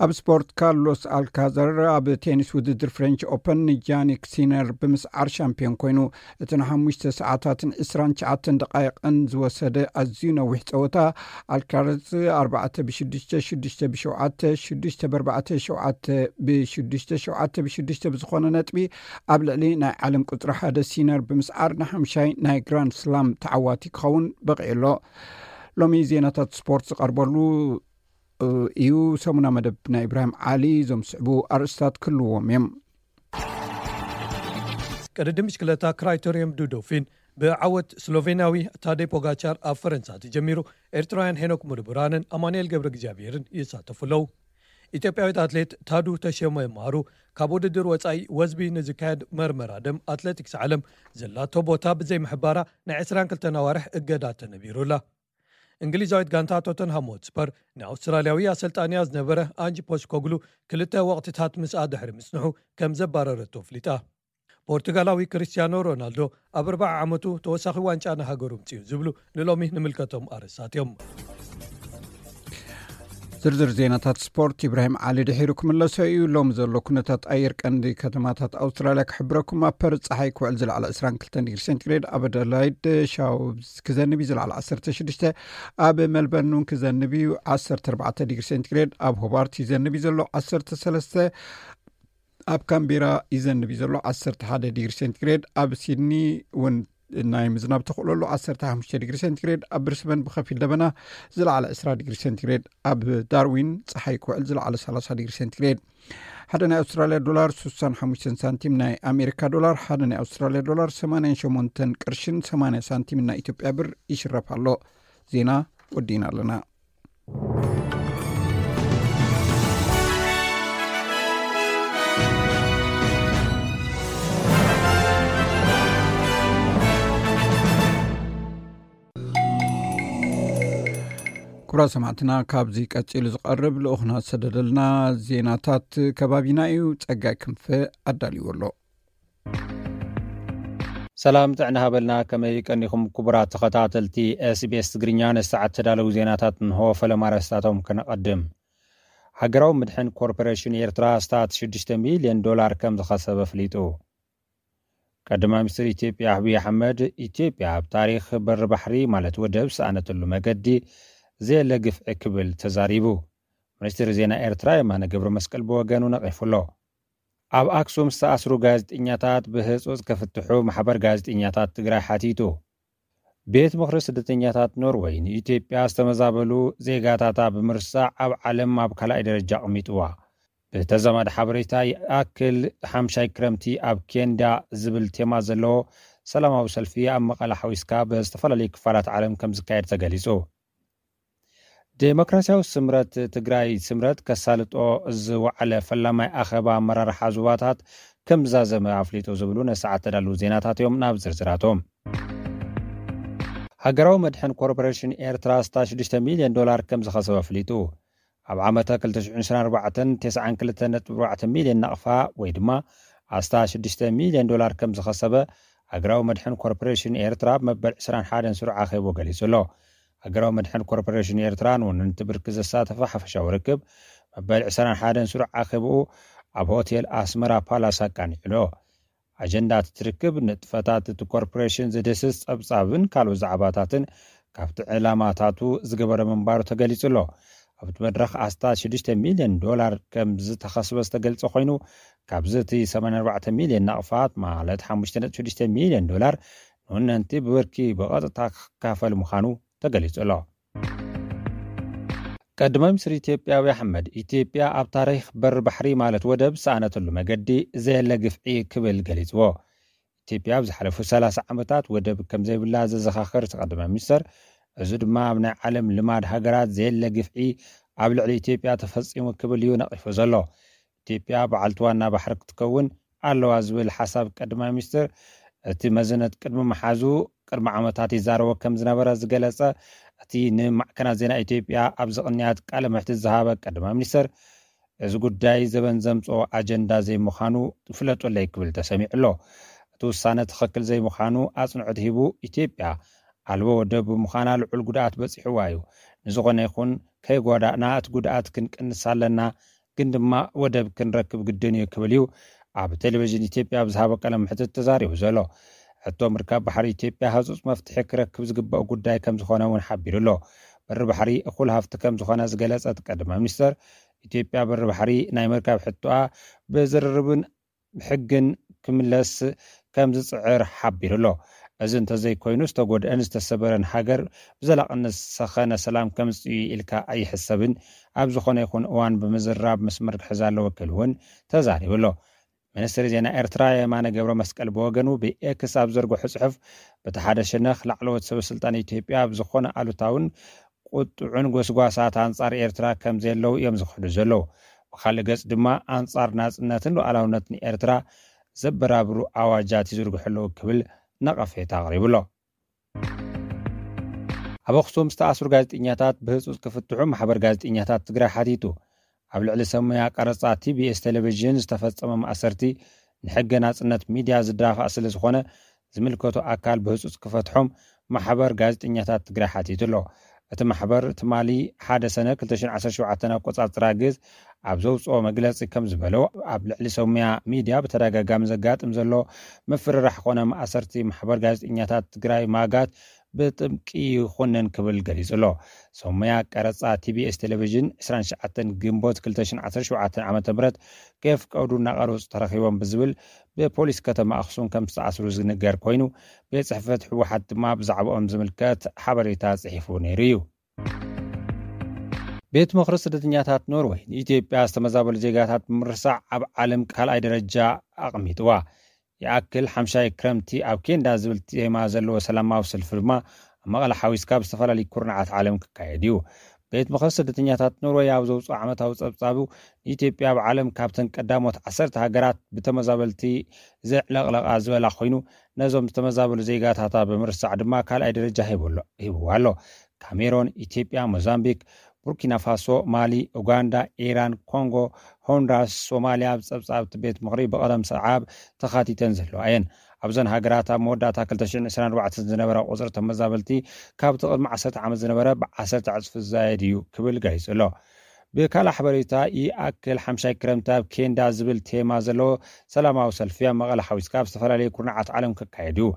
ኣብ ስፖርት፣ ካርሎስ ኣልካዘር ኣብ ቴኒስ ውድድር ፍሬንች ኦፐን ንጃኒክ ሲነር ብምስዓር ሻምፒዮን ኮይኑ። እቲ ንሓሙሽተ ሰዓታትን ዕስራን ትሽዓተን ደቃይቕን ዝወሰደ ኣዝዩ ነዊሕ ጸወታ፣ ኣልካረዝ ኣርባዕተ ብሽዱሽተ፣ ሽዱሽተ ብሸውዓተ፣ ሽዱሽተ ብኣርባዕተ፣ ሸውዓተ ብሽዱሽተ፣ ሸውዓተ ብሽዱሽተ ብዝኾነ ነጥቢ ኣብ ልዕሊ ናይ ዓለም ቁጽሪ ሓደ ሲነር ብምስዓር ንሓምሻይ ናይ ግራንድ ስላም ተዓዋቲ ክኸውን በቒዑ ኣሎ። ሎሚ ዜናታት ስፖርት ዝቐርበሉ እዩ። ሰሙና መደብ ናይ ኢብራሂም ዓሊ እዞም ዝስዕቡ ኣርእስታት ክህልዎም እዮም። ቅድድም ብሽክለታ ክራይቶሪየም ዱ ዶፊን ብዓወት ስሎቬንያዊ ታዴ ፖጋቻር ኣብ ፈረንሳ ተጀሚሩ። ኤርትራውያን ሄኖክ ሙርቡራንን ኣማኑኤል ገብረ እግዚኣብሔርን ይሳተፉ ኣለዉ። ኢትዮጵያዊት ኣትሌት ታዱ ተሸመ ማሩ ካብ ውድድር ወጻኢ ወዝቢ ንዝካየድ መርመራ ደም ኣትሌቲክስ ዓለም ዘላቶ ቦታ ብዘይምሕባራ ናይ ዕስራን ክልተን ኣዋርሕ እገዳ ተነቢሩላ። እንግሊዛዊት ጋንታ ቶተንሃም ሆትስፐር ንኣውስትራልያዊ ኣሰልጣንያ ዝነበረ ኣንጅ ፖስኮግሉ ክልተ ወቕትታት ምስኣ ድሕሪ ምጽንሑ ከም ዘባረረቶ ኣፍሊጣ። ፖርቱጋላዊ ክርስቲያኖ ሮናልዶ ኣብ ኣርብዓ ዓመቱ ተወሳኺ ዋንጫ ንሃገሩ ምጽኡ ዝብሉ ንሎሚ ንምልከቶም ኣርእስታት እዮም። ዝርዝር ዜናታት ስፖርት ኢብራሂም ዓሊ ድሒሩ ክምለሶ እዩ። ሎሚ ዘሎ ኩነታት ኣየር ቀንዲ ከተማታት ኣውስትራልያ ክሕብረኩም። ኣብ ፐርዝ ጸሓይ ክውዕል ዝለዓለ ዕስራን ክልተን ዲግሪ ሴንቲግሬድ፣ ኣብ ኣደላይድ ሻውብዝ ክዘንብ እዩ ዝለዓለ ዓሰርተ ሽዱሽተ፣ ኣብ ሜልበርን እውን ክዘንብ እዩ ዓሰርተ ኣርባዕተ ዲግሪ ሴንቲግሬድ፣ ኣብ ሆባርት ይዘንብ እዩ ዘሎ ዓሰርተ ሰለስተ፣ ኣብ ካምቤራ ይዘንብ እዩ ዘሎ ዓሰርተ ሓደ ዲግሪ ሴንቲግሬድ፣ ኣብ ሲድኒ እውን ናይ ምዝናብ ተኽእሎ ኣሎ ዓሰርተ ሓሙሽተ ዲግሪ ሴንቲግሬድ፣ ኣብ ብሪስበን ብኸፊል ደበና ዝለዓለ ዕስራ ዲግሪ ሴንቲግሬድ፣ ኣብ ዳርዊን ጸሓይ ክውዕል ዝለዓለ ሰላሳ ዲግሪ ሴንቲግሬድ። ሓደ ናይ ኣውስትራልያ ዶላር ስሳን ሓሙሽተን ሳንቲም፣ ናይ ኣሜሪካ ዶላር ሓደ ናይ ኣውስትራልያ ዶላር ሰማንያን ሸሞንተን ቅርሽን ሰማንያ ሳንቲም፣ ናይ ኢትዮጵያ ብር ይሽረፍ ኣሎ። ዜና ወዲእና ኣለና። ክቡራት ሰማዕትና፣ ካብዚ ቀጺሉ ዝቐርብ ልኡኽና ዝሰደደልና ዜናታት ከባቢና እዩ። ጸጋይ ክንፈ ኣዳልዎ ኣሎ። ሰላም ጥዕና ሃበልና። ከመይ ቀኒኹም ክቡራት ተኸታተልቲ ኤስቢኤስ ትግርኛ? ንሰዓት ተዳለዉ ዜናታት እንሆ። ፈለማ ኣርእስታቶም ከነቐድም። ሃገራዊ ምድሕን ኮርፖሬሽን ኤርትራ ስታት ሽዱሽተ ሚልዮን ዶላር ከም ዝኸሰበ ኣፍሊጡ። ቀዳማይ ሚኒስትር ኢትዮጵያ ኣብይ ኣሕመድ፣ ኢትዮጵያ ኣብ ታሪኽ በሪ ባሕሪ ማለት ወደብ ዝሰኣነትሉ መገዲ ዘየለ ግፍዒ ክብል ተዛሪቡ። ሚኒስትር ዜና ኤርትራ የማነ ገብረ መስቀል ብወገኑ ነቒፉ ኣሎ። ኣብ ኣክሱም ዝተኣስሩ ጋዜጠኛታት ብህጹጽ ክፍትሑ ማሕበር ጋዜጠኛታት ትግራይ ሓቲቱ። ቤት ምኽሪ ስደተኛታት ኖርወይ ንኢትዮጵያ ዝተመዛበሉ ዜጋታታ ብምርሳዕ ኣብ ዓለም ኣብ ካልኣይ ደረጃ ኣቕሚጥዋ። ብተዛማዲ ሓበሬታ ይኣክል ሓምሻይ ክረምቲ ኣብ ኬንዳ ዝብል ቴማ ዘለዎ ሰላማዊ ሰልፊ ኣብ መቐለ ሓዊስካ ብዝተፈላለዩ ክፋላት ዓለም ከም ዝካየድ ተገሊጹ። ዴሞክራሲያዊ ስምረት ትግራይ ስምረት ከሳልጦ ዝወዓለ ፈላማይ ኣኸባ ኣመራርሓ ዞባታት ከም ዝዛዘመ ኣፍሊጡ ዝብሉ ነሰዓት ተዳለዉ ዜናታት እዮም። ናብ ዝርዝራቶም። ሃገራዊ መድሕን ኮርፖሬሽን ኤርትራ ኣስታት ሽዱሽተ ሚልዮን ዶላር ከም ዝኸሰበ ኣፍሊጡ። ኣብ ዓመተ ክልተ ሽሕን ዕስራን ኣርባዕተን ተስዓን ክልተን ነጥቢ ኣርባዕተ ሚልዮን ናቕፋ ወይ ድማ ኣስታት ሽዱሽተ ሚልዮን ዶላር ከም ዝኸሰበ ሃገራዊ መድሕን ኮርፖሬሽን ኤርትራ ኣብ መበል ዕስራን ሓደን ስሩዕ ኣኼቡ ገሊጹ ኣሎ። ሃገራዊ መድሕን ኮርፖሬሽን ኤርትራ ንወነንቲ ብርኪ ዘሳተፈ ሓፈሻዊ ርክብ መበል ዕስራን ሓደን ስሩዕ ኣኼብኡ ኣብ ሆቴል ኣስመራ ፓላስ ኣቃኒዑ ኣሎ። ኣጀንዳ እቲ ርክብ ንጥፈታት እቲ ኮርፖሬሽን ዝድህስስ ጸብጻብን ካልኦት ዛዕባታትን ካብቲ ዕላማታቱ ዝገበረ ምንባሩ ተገሊጹ ኣሎ። ኣብቲ መድረኽ ኣስታት ሽዱሽተ ሚልዮን ዶላር ከም ዝተኸስበ ዝተገልጸ ኮይኑ፣ ካብዚ እቲ ሰማንያን ኣርባዕተ ሚልዮን ናቕፋት ማለት ሓሙሽተ ነጥቢ ሽዱሽተ ሚልዮን ዶላር ንወነንቲ ብብርኪ ብቐጥታ ክካፈል ምዃኑ ተገሊጹ ኣሎ። ቀዳማይ ሚኒስትር ኢትዮጵያ ኣብይ ኣሕመድ፣ ኢትዮጵያ ኣብ ታሪኽ በሪ ባሕሪ ማለት ወደብ ዝሰኣነትሉ መገዲ ዘየለ ግፍዒ ክብል ገሊጽዎ። ኢትዮጵያ ኣብ ዝሓለፉ ሰላሳ ዓመታት ወደብ ከም ዘይብላ ዘዘኻኽር እቲ ቀዳማይ ሚኒስትር፣ እዚ ድማ ኣብ ናይ ዓለም ልማድ ሃገራት ዘየለ ግፍዒ ኣብ ልዕሊ ኢትዮጵያ ተፈጺሙ ክብል እዩ ነቒፉ ዘሎ። ኢትዮጵያ በዓልቲ ዋና ባሕሪ ክትከውን ኣለዋ ዝብል ሓሳብ ቀዳማይ ሚኒስትር፣ እቲ መዘነት ቅድሚ ምሓዙ ቅድሚ ዓመታት ይዛረቦ ከም ዝነበረ ዝገለጸ እቲ ንማዕከናት ዜና ኢትዮጵያ ኣብዚ ቅንያት ቃለ መሕትት ዝሃበ ቀዳማይ ሚኒስትር፣ እዚ ጉዳይ ዘበን ዘምጽኦ ኣጀንዳ ዘይምዃኑ ፍለጡለይ ክብል ተሰሚዑ ኣሎ። እቲ ውሳነ ትኽክል ዘይምዃኑ ኣጽንዖት ሂቡ፣ ኢትዮጵያ ኣልቦ ወደብ ብምዃና ልዑል ጉድኣት በጺሕዋ እዩ። ንዝኾነ ይኹን ከይጓዳእና እቲ ጉድኣት ክንቅንስ ኣለና፣ ግን ድማ ወደብ ክንረክብ ግድን እዩ ክብል እዩ ኣብ ቴሌቪዥን ኢትዮጵያ ኣብ ዝሃቦ ቃለ መሕትት ተዛሪቡ ዘሎ። ሕቶ ምርካብ ባሕሪ ኢትዮጵያ ህጹጽ መፍትሒ ክረክብ ዝግባእ ጉዳይ ከም ዝኾነ እውን ሓቢሩ ኣሎ። በሪ ባሕሪ እኹል ሃፍቲ ከም ዝኾነ ዝገለጸ እቲ ቀዳማይ ሚኒስትር፣ ኢትዮጵያ በሪ ባሕሪ ናይ ምርካብ ሕቶኣ ብዝርርብን ብሕግን ክምለስ ከም ዝጽዕር ሓቢሩ ኣሎ። እዚ እንተዘይኮይኑ ዝተጎድአን ዝተሰበረን ሃገር ብዘላቕነት ዝሰኸነ ሰላም ከምጽእ እዩ ኢልካ ኣይሕሰብን። ኣብ ዝኾነ ይኹን እዋን ብምዝራብ መስመር ክሕዝ ኣለዎ ክብል እውን ተዛሪቡ ኣሎ። ሚኒስትሪ ዜና ኤርትራ የማነ ገብረ መስቀል ብወገኑ ብኤክስ ኣብ ዘርግሖ ጽሑፍ፣ በቲ ሓደ ሸነኽ ላዕለዎት ሰበ ስልጣን ኢትዮጵያ ኣብ ዝኾነ ኣሉታውን ቁጥዑን ጎስጓሳት ኣንጻር ኤርትራ ከም ዘየለዉ እዮም ዝኽሕዱ ዘለዉ። ብኻልእ ገጽ ድማ ኣንጻር ናጽነትን ሉዓላውነትን ኤርትራ ዘበራብሩ ኣዋጃት ይዝርግሑ ኣለዉ ክብል ነቐፌታ ኣቕሪቡ ኣሎ። ኣብ ኣኽሱም ዝተኣስሩ ጋዜጠኛታት ብህጹጽ ክፍትሑ ማሕበር ጋዜጠኛታት ትግራይ ሓቲቱ። ኣብ ልዕሊ ሰብ ሞያ ቀረጻ ቲቢኤስ ቴሌቪዥን ዝተፈጸመ ማእሰርቲ ንሕገ ናጽነት ሚድያ ዝዳፋእ ስለ ዝኾነ ዝምልከቶ ኣካል ብህጹጽ ክፈትሖም ማሕበር ጋዜጠኛታት ትግራይ ሓቲቱ ኣሎ። እቲ ማሕበር ትማሊ ሓደ ሰነ ክልተ ሽሕን ዓሰርተ ሸውዓተን ኣቆጻጽራ ግዝ ኣብ ዘውፅኦ መግለፂ ከም ዝበሎ ኣብ ልዕሊ ሰብ ሞያ ሚድያ ብተደጋጋሚ ዘጋጥም ዘሎ ምፍርራሕ ኮነ ማእሰርቲ ማሕበር ጋዜጠኛታት ትግራይ ማጋት ብጥብቂ ይኹንን ክብል ገሊጹ ኣሎ። ሰብ ሞያ ቀረፃ ቲቢኤስ ቴሌቪዥን ዕስራን ትሽዓተን ግንቦት ክልተ ሽሕን ዓሰርተ ሸውዓተን ዓመተ ምህረት ከየፍቀዱ እናቐረፁ ተረኺቦም ብዝብል ብፖሊስ ከተማ ኣኽሱም ከም ዝተኣስሩ ዝንገር ኮይኑ፣ ቤት ጽሕፈት ህወሓት ድማ ብዛዕባኦም ዝምልከት ሓበሬታ ጽሒፉ ነይሩ እዩ። ቤት ምኽሪ ስደተኛታት ኖርወይ ንኢትዮጵያ ዝተመዛበሉ ዜጋታት ብምርሳዕ ኣብ ዓለም ካልኣይ ደረጃ ኣቕሚጥዋ። ይኣክል ሓምሻይ ክረምቲ ኣብ ኬንዳ ዝብል ቴማ ዘለዎ ሰላማዊ ሰልፊ ድማ ኣብ መቐለ ሓዊስካ ኣብ ዝተፈላለዩ ኩርናዓት ዓለም ክካየድ እዩ። ቤት ምኽሪ ስደተኛታት ኖርወይ ኣብ ዘውፅኦ ዓመታዊ ጸብጻቡ ንኢትዮጵያ ኣብ ዓለም ካብተን ቀዳሞት ዓሰርተ ሃገራት ብተመዛበልቲ ዘዕለቕለቓ ዝበላ ኮይኑ፣ ነዞም ዝተመዛበሉ ዜጋታታ ብምርሳዕ ድማ ካልኣይ ደረጃ ሂብዎ ኣሎ። ካሜሮን፣ ኢትዮጵያ፣ ሞዛምቢክ፣ ቡርኪና ፋሶ፣ ማሊ፣ ኡጋንዳ፣ ኢራን፣ ኮንጎ፣ ሆንዱራስ፣ ሶማልያ ኣብ ጸብጻብ እቲ ቤት ምኽሪ ብቐደም ሰዓብ ተኻቲተን ዘለዋ እየን። ኣብዘን ሃገራት ኣብ መወዳእታ ክልተ ሽሕን ዕስራን ኣርባዕተን ዝነበረ ቁጽሪ ተመዛበልቲ ካብቲ ቅድሚ ዓሰርተ ዓመት ዝነበረ ብዓሰርተ ዕጽፊ ዝዛየድ እዩ ክብል ገሊጹ ኣሎ። ብካልእ ሓበሬታ፣ ይኣክል ሓምሻይ ክረምቲ ኣብ ኬንዳ ዝብል ቴማ ዘለዎ ሰላማዊ ሰልፊ ኣብ መቐለ ሓዊስካ ኣብ ዝተፈላለዩ ኩርናዓት ዓለም ክካየድ እዩ።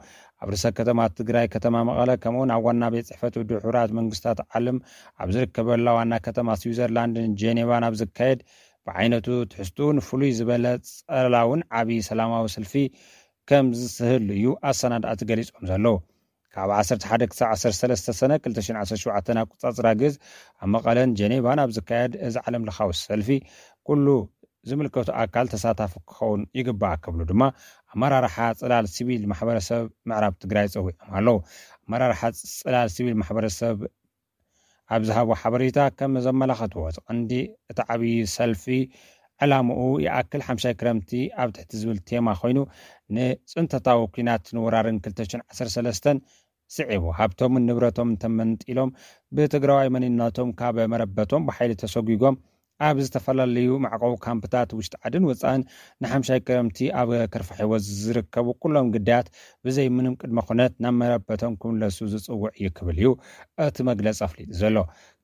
ኣብ ርእሰ ከተማ ትግራይ ከተማ መቐለ፣ ከምኡውን ኣብ ዋና ቤት ጽሕፈት ውድብ ሕቡራት መንግስታት ዓለም ኣብ ዝርከበላ ዋና ከተማ ስዊዘርላንድን ጄኔቫን ኣብ ዝካየድ ብዓይነቱ ትሕዝትኡን ፍሉይ ዝበለ ጸላውን ዓብዪ ሰላማዊ ሰልፊ ከም ዝስህሉ እዩ ኣሰናዳእቲ ገሊጾም ዘለዉ። ካብ ዓሰርተ ሓደ ክሳብ ዓሰርተ ሰለስተ ሰነ ክልተ ሽሕን ዓሰርተ ሸውዓተን ኣቆጻጽራ ግዝ ኣብ መቐለን ጀኔቫን ኣብ ዝካየድ እዚ ዓለም ለኻዊ ሰልፊ ኩሉ ዝምልከቱ ኣካል ተሳታፊ ክኸውን ይግባእ ክብሉ ድማ ኣመራርሓ ጽላል ሲቪል ማሕበረሰብ ምዕራብ ትግራይ ጸዊዖም ኣለዉ። ኣመራርሓ ጽላል ሲቪል ማሕበረሰብ ኣብ ዝሃቦ ሓበሬታ ከም ዘመላኸትዎ፣ እቲ ቀንዲ እቲ ዓብዪ ሰልፊ ዕላምኡ ይኣክል ሓምሻይ ክረምቲ ኣብ ትሕቲ ዝብል ቴማ ኮይኑ፣ ንጽንተታዊ ኲናትን ወራርን ክልተ ሽሕን ዓሰርተ ሰለስተን ስዒቡ፣ ሃብቶምን ንብረቶምን ተመንጢሎም፣ ብትግራዋይ መንነቶም ካብ መረበቶም ብሓይሊ ተሰጒጎም፣ ኣብ ዝተፈላለዩ መዕቆቢ ካምፕታት ውሽጢ ዓድን ወፃእን ንሓምሻይ ክረምቲ ኣብ ከርፋ ህይወት ዝርከቡ ኩሎም ግዳያት ብዘይ ምንም ቅድመ ኩነት ናብ መረበቶም ክምለሱ ዝፅውዕ እዩ ክብል እዩ እቲ መግለፂ ኣፍሊጡ ዘሎ።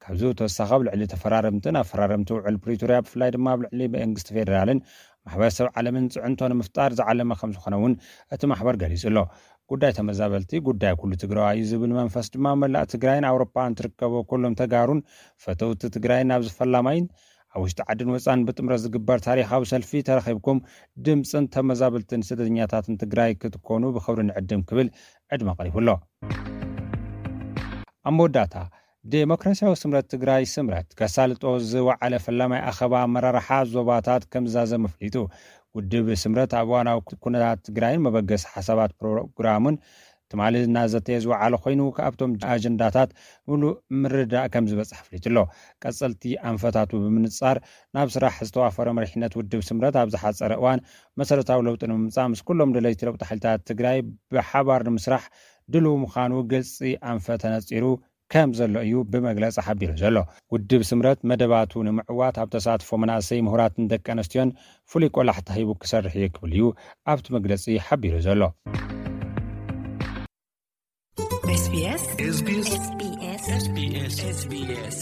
ካብዚ ብተወሳኺ፣ ኣብ ልዕሊ ተፈራረምትን ኣፈራረምቲ ውዕል ፕሪቶርያ፣ ብፍላይ ድማ ኣብ ልዕሊ መንግስቲ ፌዴራልን ማሕበረሰብ ዓለምን ፅዕንቶ ንምፍጣር ዝዓለመ ከም ዝኾነ እውን እቲ ማሕበር ገሊፁ ኣሎ። ጉዳይ ተመዛበልቲ ጉዳይ ኩሉ ትግራዋይ እዩ ዝብል መንፈስ ድማ፣ መላእ ትግራይን ኣውሮፓን ትርከቦ ኩሎም ተጋሩን ፈተውቲ ትግራይን፣ ኣብዚ ፈላማይን ኣብ ውሽጢ ዓድን ወፃን ብጥምረት ዝግበር ታሪኻዊ ሰልፊ ተረኺብኩም ድምፅን ተመዛበልትን ስደተኛታትን ትግራይ ክትኮኑ ብኽብሪ ንዕድም ክብል ዕድመ ቀሪቡ ኣሎ። ኣብ መወዳእታ፣ ዴሞክራሲያዊ ስምረት ትግራይ፣ ስምረት፣ ከሳልጦ ዝወዓለ ፈላማይ ኣኸባ ኣመራርሓ ዞባታት ከም ዝዛዘመ ኣፍሊጡ። ውድብ ስምረት ኣብ እዋናዊ ኩነታት ትግራይን መበገሲ ሓሳባት ፕሮግራሙን ትማሊ እናዘተየ ዝወዓለ ኮይኑ፣ ካብቶም ኣጀንዳታት ምሉእ ምርዳእ ከም ዝበፅሕ ኣፍሊጡ ኣሎ። ቀፀልቲ ኣንፈታቱ ብምንፃር፣ ናብ ስራሕ ዝተዋፈረ መሪሕነት ውድብ ስምረት ኣብ ዝሓፀረ እዋን መሰረታዊ ለውጢ ንምምፃእ ምስ ኩሎም ደለይቲ ለውጢ ሓይልታት ትግራይ ብሓባር ንምስራሕ ድሉው ምዃኑ ግልፂ ኣንፈት ተነፂሩ ከም ዘሎ እዩ ብመግለፂ ሓቢሩ ዘሎ። ውድብ ስምረት መደባቱ ንምዕዋት ኣብ ተሳትፎ መናእሰይ፣ ምሁራትን ደቂ ኣንስትዮን ፍሉይ ቆላሕታ ሂቡ ክሰርሕ እዩ ክብል እዩ ኣብቲ መግለፂ ሓቢሩ ዘሎ። SBS SBS SBS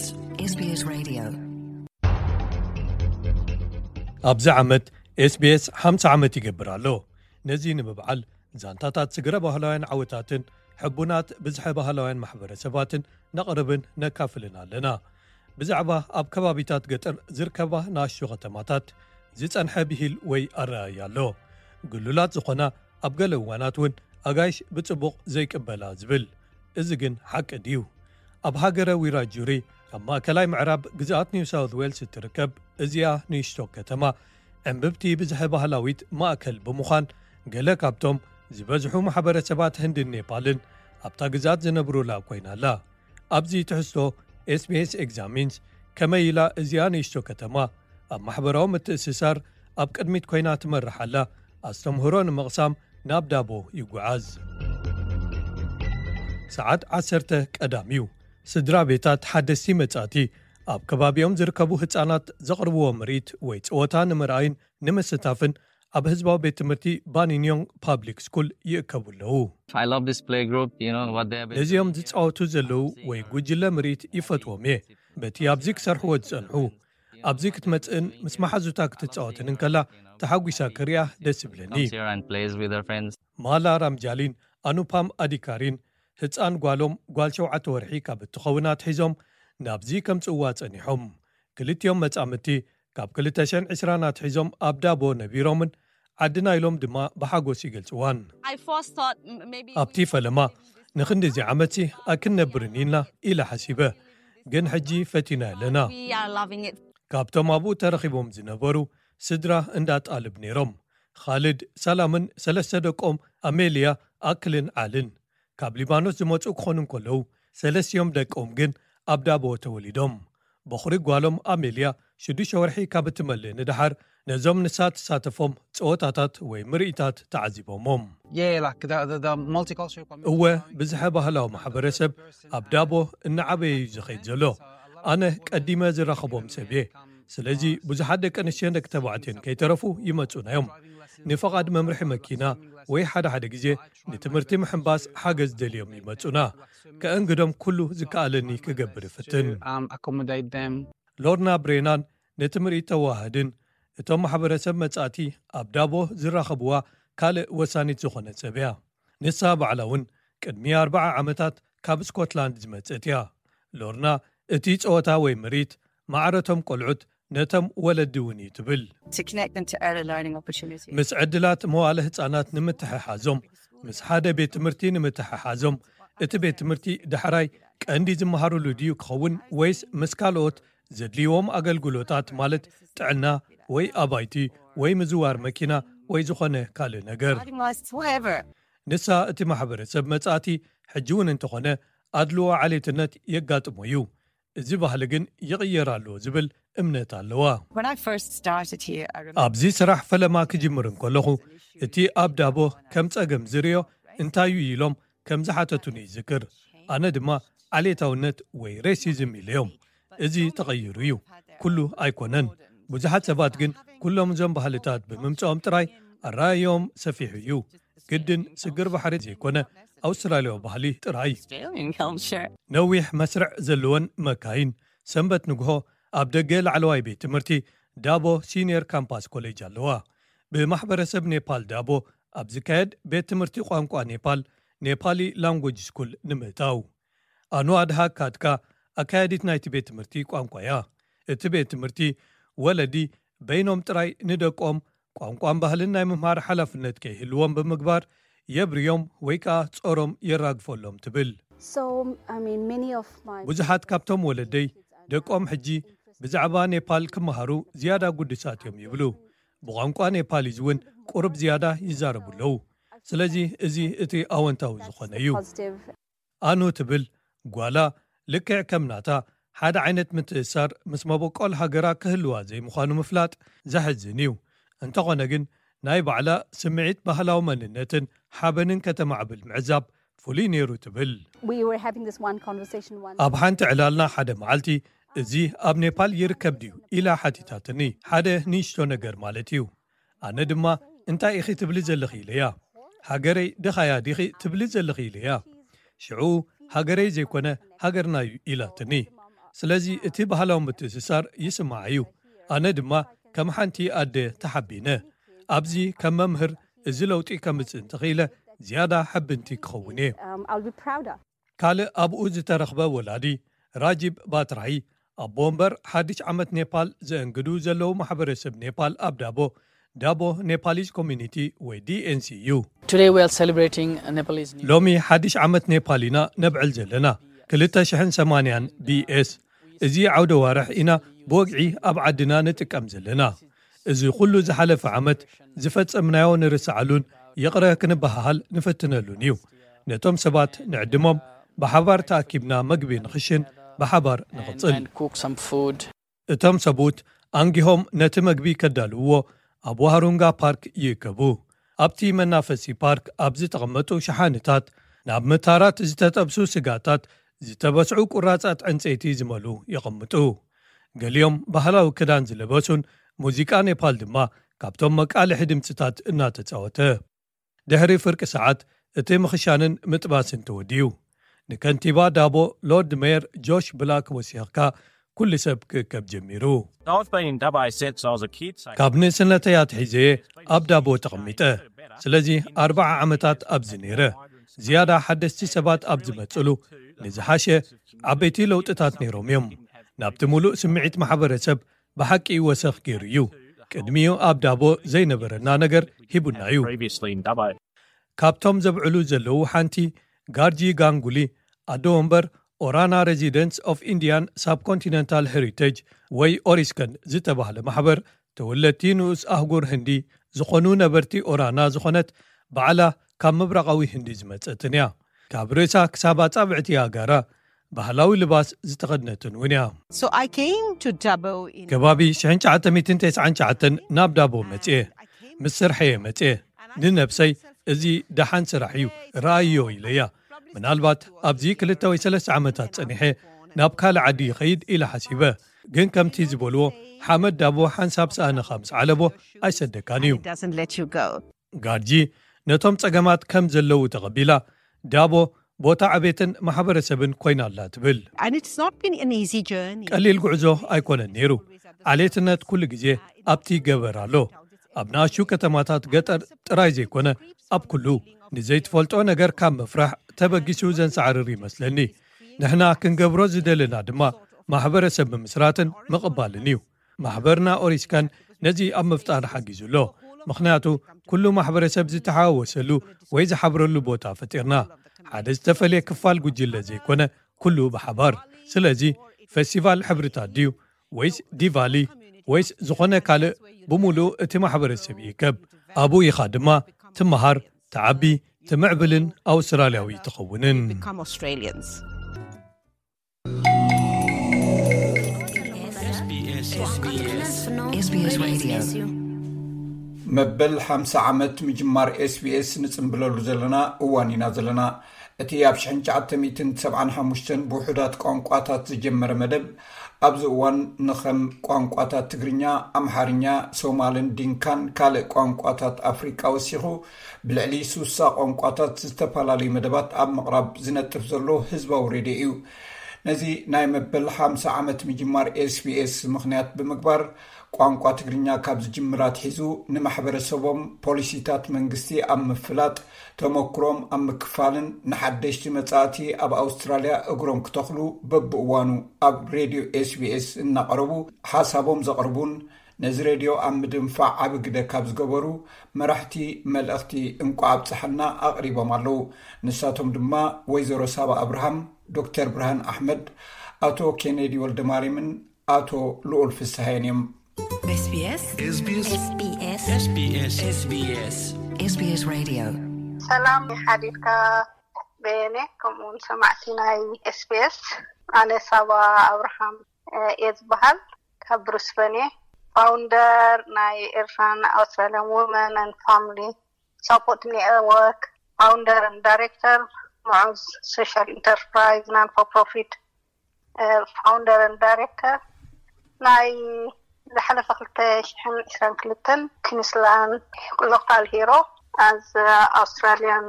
SBS Radio ኣብዚ ዓመት SBS ሓምሳ ዓመት ይገብር ኣሎ። ነዚ ንምብዓል ዛንታታት ስግረ ባህላውያን ዓወታትን ሕቡናት ብዝሐ ባህላውያን ማሕበረሰባትን ነቕርብን ነካፍልን ኣለና። ብዛዕባ ኣብ ከባቢታት ገጠር ዝርከባ ንኣሽቱ ከተማታት ዝጸንሐ ብሂል ወይ ኣረኣእያ ኣሎ። ግሉላት ዝኾና ኣብ ገለ እዋናት እውን ኣጋይሽ ብጽቡቕ ዘይቅበላ ዝብል። እዚ ግን ሓቂ ድዩ? ኣብ ሃገረ ዊራጁሪ ኣብ ማእከላይ ምዕራብ ግዝኣት ኒው ሳውት ዌልስ እትርከብ እዚኣ ንእሽቶ ከተማ ዕምብብቲ ብዝሐ ባህላዊት ማእከል ብምዃን ገለ ካብቶም ዝበዝሑ ማሕበረሰባት ህንድን ኔፓልን ኣብታ ግዝኣት ዝነብሩላ ኮይና ኣላ። ኣብዚ ትሕዝቶ SBS ኤግዛሚንስ ከመይ ኢላ እዚኣ ንእሽቶ ከተማ ኣብ ማሕበራዊ ምትእስሳር ኣብ ቅድሚት ኮይና ትመርሕ ኣላ ኣስተምህሮ ንምቕሳም ናብ ዳቦ ይጓዓዝ። ሰዓት ዓሰርተ ቀዳም እዩ። ስድራ ቤታት ሓደስቲ መጻእቲ ኣብ ከባቢኦም ዝርከቡ ህጻናት ዘቕርብዎ ምርኢት ወይ ጸወታ ንምርኣይን ንምስታፍን ኣብ ህዝባዊ ቤት ትምህርቲ ባኒንዮንግ ፓብሊክ ስኩል ይእከቡ ኣለዉ። I love this playgroup, you know, what they have been ነዚኦም doing here. ዝጻወቱ ዘለዉ ወይ ጉጅለ ምርኢት ይፈትዎም እየ። በቲ ኣብዚ ክሰርሕዎ ዝጸንሑ ኣብዚ ክትመጽእን ምስ መሓዙታ ክትጻወትን እንከላ ተሓጒሳ ክሪኣ ደስ ይብለኒ። Comes here and plays with her friends. ማላ ራምጃሊን ኣኑፓም ኣዲካሪን ህጻን ጓሎም ጓል ሸውዓተ ወርሒ ካብ እትኸውን ኣትሒዞም ናብዚ ከምጽእዋ ጸኒሖም። ክልቲኦም መጻምድቲ ካብ ክልተ ሽሕን ዕስራን ኣትሒዞም ኣብ ዳቦ ነቢሮምን ዓድና ኢሎም ድማ ብሓጎስ ይገልጽዋን። I first thought m- maybe ኣብቲ ፈለማ ንኽንድዚ ዓመትሲ ኣይክንነብርን ኢልና ኢለ ሓሲበ፣ ግን ሕጂ ፈቲና ኣለና። We are loving it. ካብቶም ኣብኡ ተረኺቦም ዝነበሩ ስድራ እንዳ ጣልብ ነይሮም። ኻልድ፣ ሰላምን ሰለስተ ደቆም ኣሜልያ፣ ኣክልን ዓልን ካብ ሊባኖስ ዝመጹ ክኾኑ እንከለዉ፣ ሰለስቲኦም ደቆም ግን ኣብ ዳቦ ተወሊዶም። በኹሪ ጓሎም ኣሜልያ ሽዱሽተ ወርሒ ካብ እትመልእ ንደሓር ነዞም ንሳ ትሳተፎም ጸወታታት ወይ ምርኢታት ተዓዚቦሞም። Yeah, like the, the, the multicultural community. እወ፣ ብዝሐ ባህላዊ ማሕበረሰብ ኣብ ዳቦ እናዓበየ እዩ ዝኸይድ ዘሎ። ኣነ ቀዲመ ዝራኸቦም ሰብ እየ። ስለዚ ብዙሓት ደቂ ኣንስትዮን ደቂ ተባዕትዮን ከይተረፉ ይመጹና እዮም። ንፈቓድ መምርሒ መኪና ወይ ሓደ ሓደ ግዜ ንትምህርቲ ምሕንባስ ሓገዝ ደልዮም ይመጹና። ከእንግዶም ኩሉ ዝከኣለኒ ክገብር እፍትን። Um, accommodate them. ሎርና ብሬናን ነቲ ምርኢት ተዋህድን እቶም ማሕበረሰብ መጻእቲ ኣብ ዳቦ ዝራኸብዋ ካልእ ወሳኒት ዝኾነት ሰብ እያ። ንሳ ባዕላ እውን ቅድሚ ኣርብዓ ዓመታት ካብ ስኮትላንድ ዝመጸት እያ። ሎርና እቲ ጸወታ ወይ ምርኢት ማዕረቶም ቆልዑት ነቶም ወለዲ እውን እዩ ትብል። To connect them to early learning opportunities. ምስ ዕድላት መዋለ ህጻናት ንምትሕሓዞም፣ ምስ ሓደ ቤት ትምህርቲ ንምትሕሓዞም፣ እቲ ቤት ትምህርቲ ዳሕራይ ቀንዲ ዝመሃሩሉ ድዩ ክኸውን፣ ወይስ ምስ ካልኦት ዘድልይዎም ኣገልግሎታት፣ ማለት ጥዕና ወይ ኣባይቲ ወይ ምዝዋር መኪና ወይ ዝኾነ ካልእ ነገር? ንሳ እቲ ማሕበረሰብ መጻእቲ ሕጂ እውን እንተኾነ ኣድልዎ ዓሌትነት የጋጥሞ እዩ። እዚ ባህሊ ግን ይቕየር ኣሎ ዝብል እምነት ኣለዋ። ኣብዚ ስራሕ ፈለማ ክጅምር እንከለኹ፣ እቲ ኣብ ዳቦ ከም ጸገም ዝርእዮ እንታይ እዩ ኢሎም ከም ዝሓተቱኒ ይዝክር። ኣነ ድማ ዓሌታውነት ወይ ሬሲዝም ኢለዮም። እዚ ተቐይሩ እዩ፣ ኩሉ ኣይኮነን። ብዙሓት ሰባት ግን ኩሎም እዞም ባህልታት ብምምጽኦም ጥራይ ኣረኣእዮም ሰፊሑ እዩ። ግድን ስግር ባሕሪ ዘይኮነ፣ ኣውስትራልያዊ ባህሊ ጥራይ። ነዊሕ መስርዕ ዘለወን መካይን። ሰንበት ንግሆ ኣብ ደገ ላዕለዋይ ቤት ትምህርቲ ዳቦ ሲኒየር ካምፓስ ኮሌጅ ኣለዋ። ብማሕበረሰብ ኔፓል ዳቦ ኣብ ዝካየድ ቤት ትምህርቲ ቋንቋ ኔፓል፣ ኔፓሊ ላንጉጅ ስኩል ንምእታው። ኣኑ ኣድሃ ካድካ ኣካያዲት ናይቲ ቤት ትምህርቲ ቋንቋ እያ። እቲ ቤት ትምህርቲ ወለዲ በይኖም ጥራይ ንደቆም ቋንቋን ባህልን ናይ ምምሃር ሓላፍነት ከይህልዎም ብምግባር የብርዮም ወይ ከኣ ጾሮም የራግፈሎም ትብል። ብዙሓት ካብቶም ወለደይ ደቆም ሕጂ ብዛዕባ ኔፓል ክመሃሩ ዝያዳ ጉዱሳት እዮም ይብሉ። ብቋንቋ ኔፓሊዝ እውን ቁሩብ ዝያዳ ይዛረቡ ኣለዉ። ስለዚ እዚ እቲ ኣወንታዊ ዝኾነ እዩ። ኣኑ ትብል ጓላ፣ ልክዕ ከም ናታ ሓደ ዓይነት ምትእስሳር ምስ መበቆል ሃገራ ክህልዋ ዘይምዃኑ ምፍላጥ ዘሕዝን እዩ። እንተኾነ ግን ናይ ባዕላ ስምዒት ባህላዊ መንነትን ሓበንን ከተማዕብል ምዕዛብ ፍሉይ ነይሩ ትብል። ኣብ ሓንቲ ዕላልና ሓደ መዓልቲ፣ እዚ ኣብ ኔፓል ይርከብ ድዩ ኢላ ሓቲታትኒ። ሓደ ንእሽቶ ነገር ማለት እዩ። ኣነ ድማ እንታይ ኢኺ ትብሊ ዘለኺ ኢለያ። ሃገረይ ድኻያ ዲኺ ትብሊ ዘለኺ ኢለያ። ሽዑ ሃገረይ ዘይኮነ ሃገርና እዩ ኢላትኒ። ስለዚ እቲ ባህላዊ ምትእስሳር ይስማዓ እዩ። ኣነ ድማ ከም ሓንቲ ኣደ ተሓቢነ። ኣብዚ ከም መምህር እዚ ለውጢ ከምጽእ እንተኽኢለ ዝያዳ ሕብንቲ ክኸውን እየ። ካልእ ኣብኡ ዝተረኽበ ወላዲ ራጂብ ባትራሂ፣ ኣቦ እምበር ሓድሽ ዓመት ኔፓል ዘእንግዱ ዘለዉ ማሕበረሰብ ኔፓል ኣብ ዳቦ፣ ዳቦ ኔፓሊዝ ኮሚኒቲ ወይ ዲኤንሲ እዩ። ሎሚ ሓድሽ ዓመት ኔፓል ኢና ነብዕል ዘለና፣ ክልተ ሽሕን ሰማንያን ቢኤስ። እዚ ዓውደ ዋርሕ ኢና ብወግዒ ኣብ ዓድና ንጥቀም ዘለና። እዚ ኩሉ ዝሓለፈ ዓመት ዝፈጸምናዮ ንርስዓሉን ይቕረ ክንበሃሃል ንፍትነሉን እዩ። ነቶም ሰባት ንዕድሞም፣ ብሓባር ተኣኪብና መግቢ ንኽሽን ብሓባር ንቕጽል። እቶም ሰብኡት ኣንጊሆም ነቲ መግቢ ከዳልውዎ ኣብ ዋህሩንጋ ፓርክ ይእከቡ። ኣብቲ መናፈሲ ፓርክ ኣብ ዝተቐመጡ ሸሓንታት፣ ናብ ምታራት ዝተጠብሱ ስጋታት፣ ዝተበስዑ ቁራጻት ዕንጸይቲ ዝመሉ የቐምጡ። ገሊኦም ባህላዊ ክዳን ዝለበሱን ሙዚቃ ኔፓል ድማ ካብቶም መቃልሒ ድምጽታት እናተጻወተ። ድሕሪ ፍርቂ ሰዓት እቲ ምኽሻንን ምጥባስን ተወዲኡ። ንከንቲባ ዳቦ ሎርድ ሜየር ጆሽ ብላክ ወሲኽካ ኩሉ ሰብ ክእከብ ጀሚሩ። ካብ ንእስነተይ ኣትሒዘ እየ ኣብ ዳቦ ተቐሚጠ። ስለዚ ኣርባዓ ዓመታት ኣብዚ ነይረ። ዝያዳ ሓደስቲ ሰባት ኣብ ዝመጽሉ ንዝሓሸ ዓበይቲ ለውጥታት ነይሮም እዮም። ናብቲ ሙሉእ ስምዒት ማሕበረሰብ ብሓቂ ወሰኽ ገይሩ እዩ። ቅድሚኡ ኣብ ዳቦ ዘይነበረና ነገር ሂቡና እዩ። ካብቶም ዘብዕሉ ዘለዉ ሓንቲ ጋርጂ ጋንጉሊ፣ ኣዶ ወንበር ኦራና ሬዚደንትስ ኦፍ ኢንዲያን ሳብኮንቲነንታል ሄሪቴጅ ወይ ኦሪስከን ዝተባህለ ማሕበር ተወለድቲ ንኡስ ኣህጉር ህንዲ ዝኾኑ ነበርቲ ኦራና ዝኾነት ባዕላ ካብ ምብራቓዊ ህንዲ ዝመጸትን እያ። ካብ ርእሳ ክሳብ ኣጻብዕቲ ኣጋራ ባህላዊ ልባስ ዝተኸድነትን እውን እያ። ከባቢ ሽሕን ትሽዓተ ሚእትን ተስዓን ትሽዓተን ናብ ዳቦ መጽየ። ምስ ስርሐየ መጽየ። ንነብሰይ፣ እዚ ደሓን ስራሕ እዩ፣ ረኣዮ ኢለያ። ምናልባት ኣብዚ ክልተ ወይ ሰለስተ ዓመታት ጸኒሐ ናብ ካልእ ዓዲ ይኸይድ ኢለ ሓሲበ። ግን ከምቲ ዝበልዎ፣ ሓመድ ዳቦ ሓንሳብ ሰኣንኻ ምስ ዓለቦ ኣይሰደካን እዩ። ጋርጂ ነቶም ጸገማት ከም ዘለዉ ተቐቢላ፣ ዳቦ ቦታ ዕቤትን ማሕበረሰብን ኮይና ኣላ ትብል። ቀሊል ጉዕዞ ኣይኮነን ነይሩ። ዓሌትነት ኩሉ ግዜ ኣብቲ ገበር ኣሎ። ኣብ ንኣሽቱ ከተማታት ገጠር ጥራይ ዘይኮነ፣ ኣብ ኩሉ። ንዘይትፈልጦ ነገር ካብ ምፍራሕ ተበጊሱ ዘንሳዕርር ይመስለኒ። ንሕና ክንገብሮ ዝደለና ድማ ማሕበረሰብ ምምስራትን ምቕባልን እዩ። ማሕበርና ኦሪስካን ነዚ ኣብ ምፍጣር ሓጊዙ ኣሎ። ምኽንያቱ ኩሉ ማሕበረሰብ ዝተሓዋወሰሉ ወይ ዝሓብረሉ ቦታ ፈጢርና። ሓደ ዝተፈልየ ክፋል ጉጅለ ዘይኮነ፣ ኩሉ ብሓባር። ስለዚ፣ ፈስቲቫል ሕብርታት ድዩ፣ ወይስ ዲቫሊ፣ ወይስ ዝኾነ ካልእ፣ ብምሉእ እቲ ማሕበረሰብ ይእከብ። ኣብኡ ኢኻ ድማ ትመሃር፣ ትዓቢ፣ ትምዕብልን ኣውስትራልያዊ ትኸውንን። መበል ሓምሳ ዓመት ምጅማር ኤስቢኤስ ንጽምብለሉ ዘለና እዋን ኢና ዘለና። እቲ ኣብ ሽሕን ትሽዓተ ሚእትን ሰብዓን ሓሙሽተን ብውሑዳት ቋንቋታት ዝጀመረ መደብ፣ ኣብዚ እዋን ንኸም ቋንቋታት ትግርኛ፣ ኣምሓርኛ፣ ሶማልን ዲንካን ካልእ ቋንቋታት ኣፍሪቃ ወሲኹ፣ ብልዕሊ ሱሳ ቋንቋታት ዝተፈላለዩ መደባት ኣብ ምቕራብ ዝነጥፍ ዘሎ ህዝባዊ ሬድዮ እዩ። ነዚ ናይ መበል ሓምሳ ዓመት ምጅማር ኤስቢኤስ ምኽንያት ብምግባር፣ ቋንቋ ትግርኛ ካብ ዝጅምር ኣትሒዙ ንማሕበረሰቦም ፖሊሲታት መንግስቲ ኣብ ምፍላጥ፣ ተመክሮም ኣብ ምክፋልን ንሓደሽቲ መጻእቲ ኣብ ኣውስትራልያ እግሮም ክተኽሉ በብእዋኑ ኣብ ሬድዮ ኤስቢኤስ እናቐረቡ ሓሳቦም ዘቕርቡን ነዚ ሬድዮ ኣብ ምድንፋዕ ዓቢ ግደ ካብ ዝገበሩ መራሕቲ መልእኽቲ እንቋዕ ኣብጽሓና ኣቕሪቦም ኣለዉ። ንሳቶም ድማ ወይዘሮ ሳባ ኣብርሃም፣ ዶክተር ብርሃን ኣሕመድ፣ ኣቶ ኬኔዲ ወልደማርያምን ኣቶ ልኡል ፍስሃየን እዮም። SBS SBS SBS SBS SBS Radio ሰላም ሓዲርካ በየነ፣ ከምኡውን ሰማዕቲ ናይ ኤስቢኤስ። ኣነ ሳባ ኣብርሃም እየ ዝበሃል፣ ካብ ብሪስበን እየ። ፋውንደር ናይ ኤርትራን ኣውስትራሊያን ዊመን ን ፋሚሊ ሳፖርት ኔትወርክ፣ ፋውንደር ን ዳይሬክተር ሙዑዝ ሶሻል ኢንተርፕራይዝ ናን ፎር ፕሮፊት፣ ፋውንደር ን ዳይሬክተር ናይ ዝሓለፈ ክልተ ሽሕን ዕስራን ክልተን ኪንስላን ሎካል ሂሮ ኣዝ ኣውስትራሊያን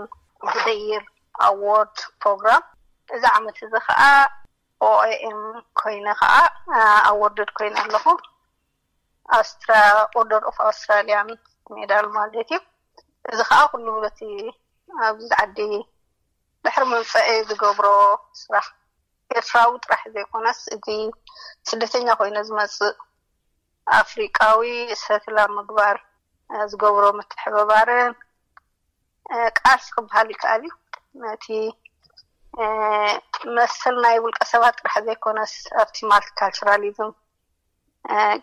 ኦፍ ዘ ይር ኣዎርድ ፕሮግራም። እዚ ዓመት እዚ ከዓ ኦኤኤም ኮይነ ከዓ ኣዎርድድ ኮይነ ኣለኹ። ኣውስትራ ኦርደር ኦፍ ኣውስትራሊያን ሜዳል ማለት እዩ። እዚ ከዓ ኩሉ በቲ ኣብዚ ዓዲ ድሕሪ መምፀኢ ዝገብሮ ስራሕ ኤርትራዊ ጥራሕ ዘይኮነስ፣ እዚ ስደተኛ ኮይነ ዝመፅእ ኣፍሪቃዊ ሰትል ኣብ ምግባር ዝገብሮ ምትሕብባርን ቃልሲ ክበሃል ይከኣል እዩ። ነቲ መሰል ናይ ውልቀ ሰባት ጥራሕ ዘይኮነስ ኣብቲ ማልቲካልቸራሊዝም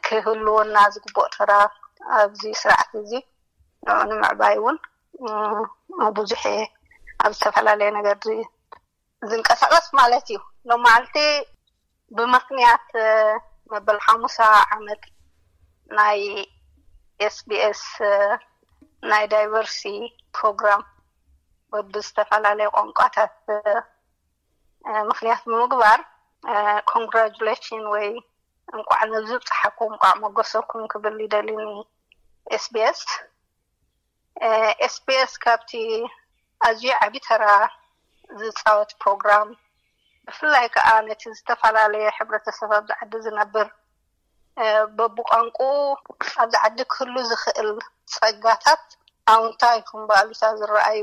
ክህልወና ዝግብኦ ተራ ኣብዚ ስርዓት እዚ ንዑ ንምዕባይ እውን ብዙሕ ኣብ ዝተፈላለየ ነገር ዝንቀሳቀስ ማለት እዩ። ሎማዓልቲ ብመክንያት መበል ሓሙሳ ዓመት ናይ ኤስቢኤስ ናይ ዳይቨርሲቲ ፕሮግራም በብዝተፈላለየ ቋንቋታት ምክንያት ብምግባር ኮንግራጁሌሽን ወይ እንቋዕ ነዚ ብፅሓኩም እንቋዕ መጎሰኩም ክብል ይደሊ ን ኤስቢኤስ። ኤስቢኤስ ካብቲ ኣዝዩ ዓብዪ ተራ ዝፃወት ፕሮግራም፣ ብፍላይ ከዓ ነቲ ዝተፈላለየ ሕብረተሰብ ኣብዚ ዓዲ ዝነብር በብቋንቁ ኣብዚ ዓዲ ክህሉ ዝኽእል ፀጋታት ኣውንታ ይኹን ብኣሉታ ዝረኣዩ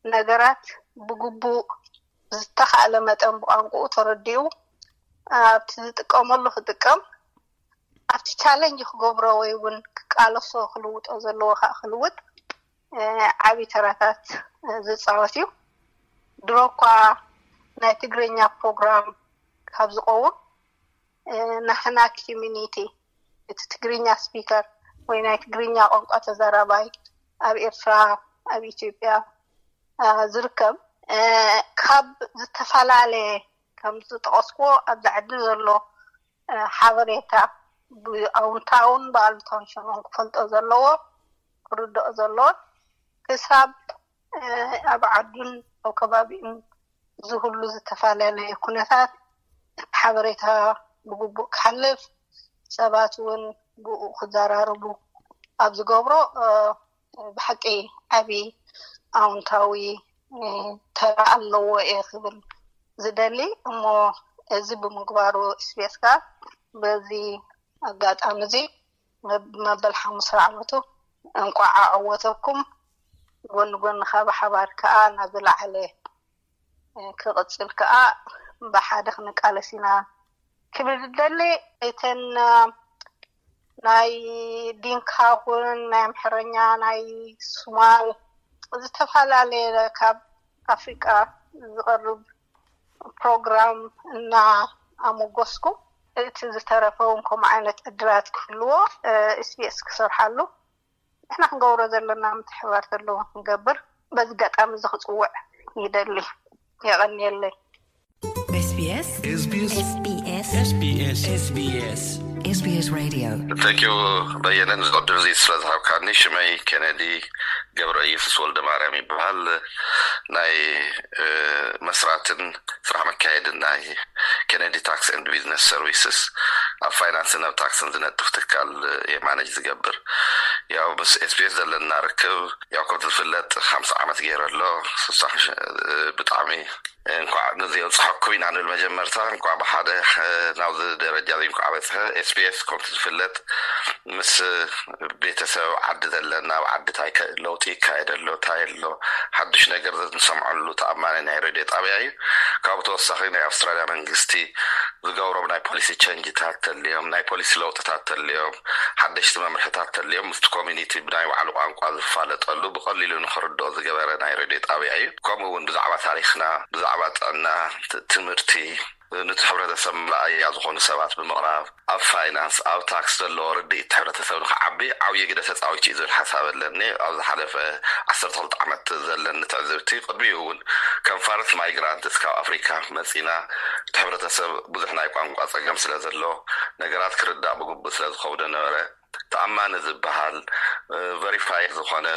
ነገራት ብግቡእ ዝተኻእለ መጠን ብቋንቁኡ ተረዲኡ ኣብቲ ዝጥቀመሉ ክጥቀም፣ ኣብቲ ቻለንጅ ክገብሮ ወይ እውን ክቃለሶ ክልውጦ ዘለዎ ከዓ ክልውጥ ዓብዪ ተራታት ዝፃወት እዩ። ድሮ እኳ ናይ ትግርኛ ፕሮግራም ካብ ዝቀውም ናህና ኮሚኒቲ እቲ ትግርኛ ስፒከር ወይ ናይ ትግርኛ ቋንቋ ተዛራባይ ኣብ ኤርትራ ኣብ ኢትዮጵያ ዝርከብ ካብ ዝተፈላለየ ከም ዝጠቐስክዎ ኣብዚ ዓዲ ዘሎ ሓበሬታ ብኣውንታውን ብኣሉታውን ሸነኹም ክፈልጦ ዘለዎ ክርድኦ ዘለዎን ክሳብ ኣብ ዓዱን ኣብ ከባቢኡን ዝህሉ ዝተፈላለየ ኩነታት ሓበሬታ ብግቡእ ክሓልፍ ሰባት እውን ብኡ ክዘራርቡ ኣብ ዝገብሮ ብሓቂ ዓብዪ ኣውንታዊ ተራ ኣለዎ እየ ክብል ዝደሊ። እሞ እዚ ብምግባሩ ስቤስ ጋር በዚ ኣጋጣሚ እዚ መበል ሓሙሳ ዓመቱ እንቋዕ ኣዕወተኩም። ጎኒ ጎኒ ካብ ሓባር ከዓ ናብ ዝለዓለ ክቕፅል ከዓ ብሓደ ክንቃለስ ኢና ክብል ዝደሊ። እተን ናይ ዲንካ ኹን ናይ ኣምሐረኛ ናይ ሱማል ዝተፈላለየ ካብ ኣፍሪቃ ዝቐርብ ፕሮግራም እናኣሞገስኩ፣ እቲ ዝተረፈ እውን ከምኡ ዓይነት ዕድላት ክህልዎ ኤስቢኤስ ክሰርሓሉ ንሕና ክንገብሮ ዘለና ምትሕብባር ዘለዎ ክንገብር በዚ ኣጋጣሚ እዚ ክፅውዕ ይደሊ። የቐንየለይ። SBS SBS SBS SBS SBS SBS Radio. Thank you በየነ፣ ንዚ ዕድል እዚ ስለ ዝሃብካኒ። ሽመይ ኬነዲ ገብረ ኢየሱስ ወልደ ማርያም ይበሃል። ናይ መስራትን ስራሕ መካየድን ናይ ኬነዲ ታክስ ኤንድ ቢዝነስ ሰርቪስስ፣ ኣብ ፋይናንስን ኣብ ታክስን ዝነጥፍ ትካል እየ ማነጅ ዝገብር። ያው ምስ ኤስቢኤስ ዘለና ርክብ፣ ያው ከም ዝፍለጥ ሓምሳ ዓመት ገይረ ኣሎ። ብጣዕሚ እንኳዕ ነዚ የብፅሐኩም ኢና ንብል። መጀመርታ እንኳዕ ብሓደ ናብዚ ደረጃ እዚ እንኳዕ በፅሐ። ኤስቢኤስ ከምቲ ዝፍለጥ ምስ ቤተሰብ ዓዲ ዘለና፣ ኣብ ዓዲ እንታይ ለውጢ ይካየድ ኣሎ፣ እንታይ ኣሎ፣ ሓድሽ ነገር ንሰምዐሉ ተኣማኒ ናይ ሬድዮ ጣብያ እዩ። ካብኡ ተወሳኺ ናይ ኣውስትራልያ መንግስቲ ዝገብሮም ናይ ፖሊሲ ቸንጅታት ተልዮም፣ ናይ ፖሊሲ ለውጥታት ተልዮም፣ ሓደሽቲ መምርሕታት ተልዮም ምስቲ ኮሚኒቲ ብናይ ባዕሉ ቋንቋ ዝፋለጠሉ ብቐሊሉ ንኽርድኦ ዝገበረ ናይ ሬድዮ ጣብያ እዩ። ከምኡ እውን ብዛዕባ ታሪኽና፣ ብዛዕባ ጥዕና፣ ትምህርቲ፣ ነቲ ሕብረተሰብ መርኣያ ዝኾኑ ሰባት ብምቕራብ፣ ኣብ ፋይናንስ፣ ኣብ ታክስ ዘለዎ ርድኢት ሕብረተሰብ ንኽዓቢ ዓብዪ ግደ ተፃዊቱ እዩ ዝብል ሓሳብ ኣለኒ። ኣብ ዝሓለፈ ዓሰርተ ክልተ ዓመት ዘለኒ ትዕዝብቲ፣ ቅድሚኡ እውን ከም ፋረስት ማይግራንት እስካብ ኣፍሪካ መፂና፣ እቲ ሕብረተሰብ ብዙሕ ናይ ቋንቋ ፀገም ስለ ዘሎ፣ ነገራት ክርዳእ ብግቡእ ስለ ዝኸብዶ ነበረ። ተኣማኒ ዝበሃል፣ ቨሪፋይ ዝኾነ፣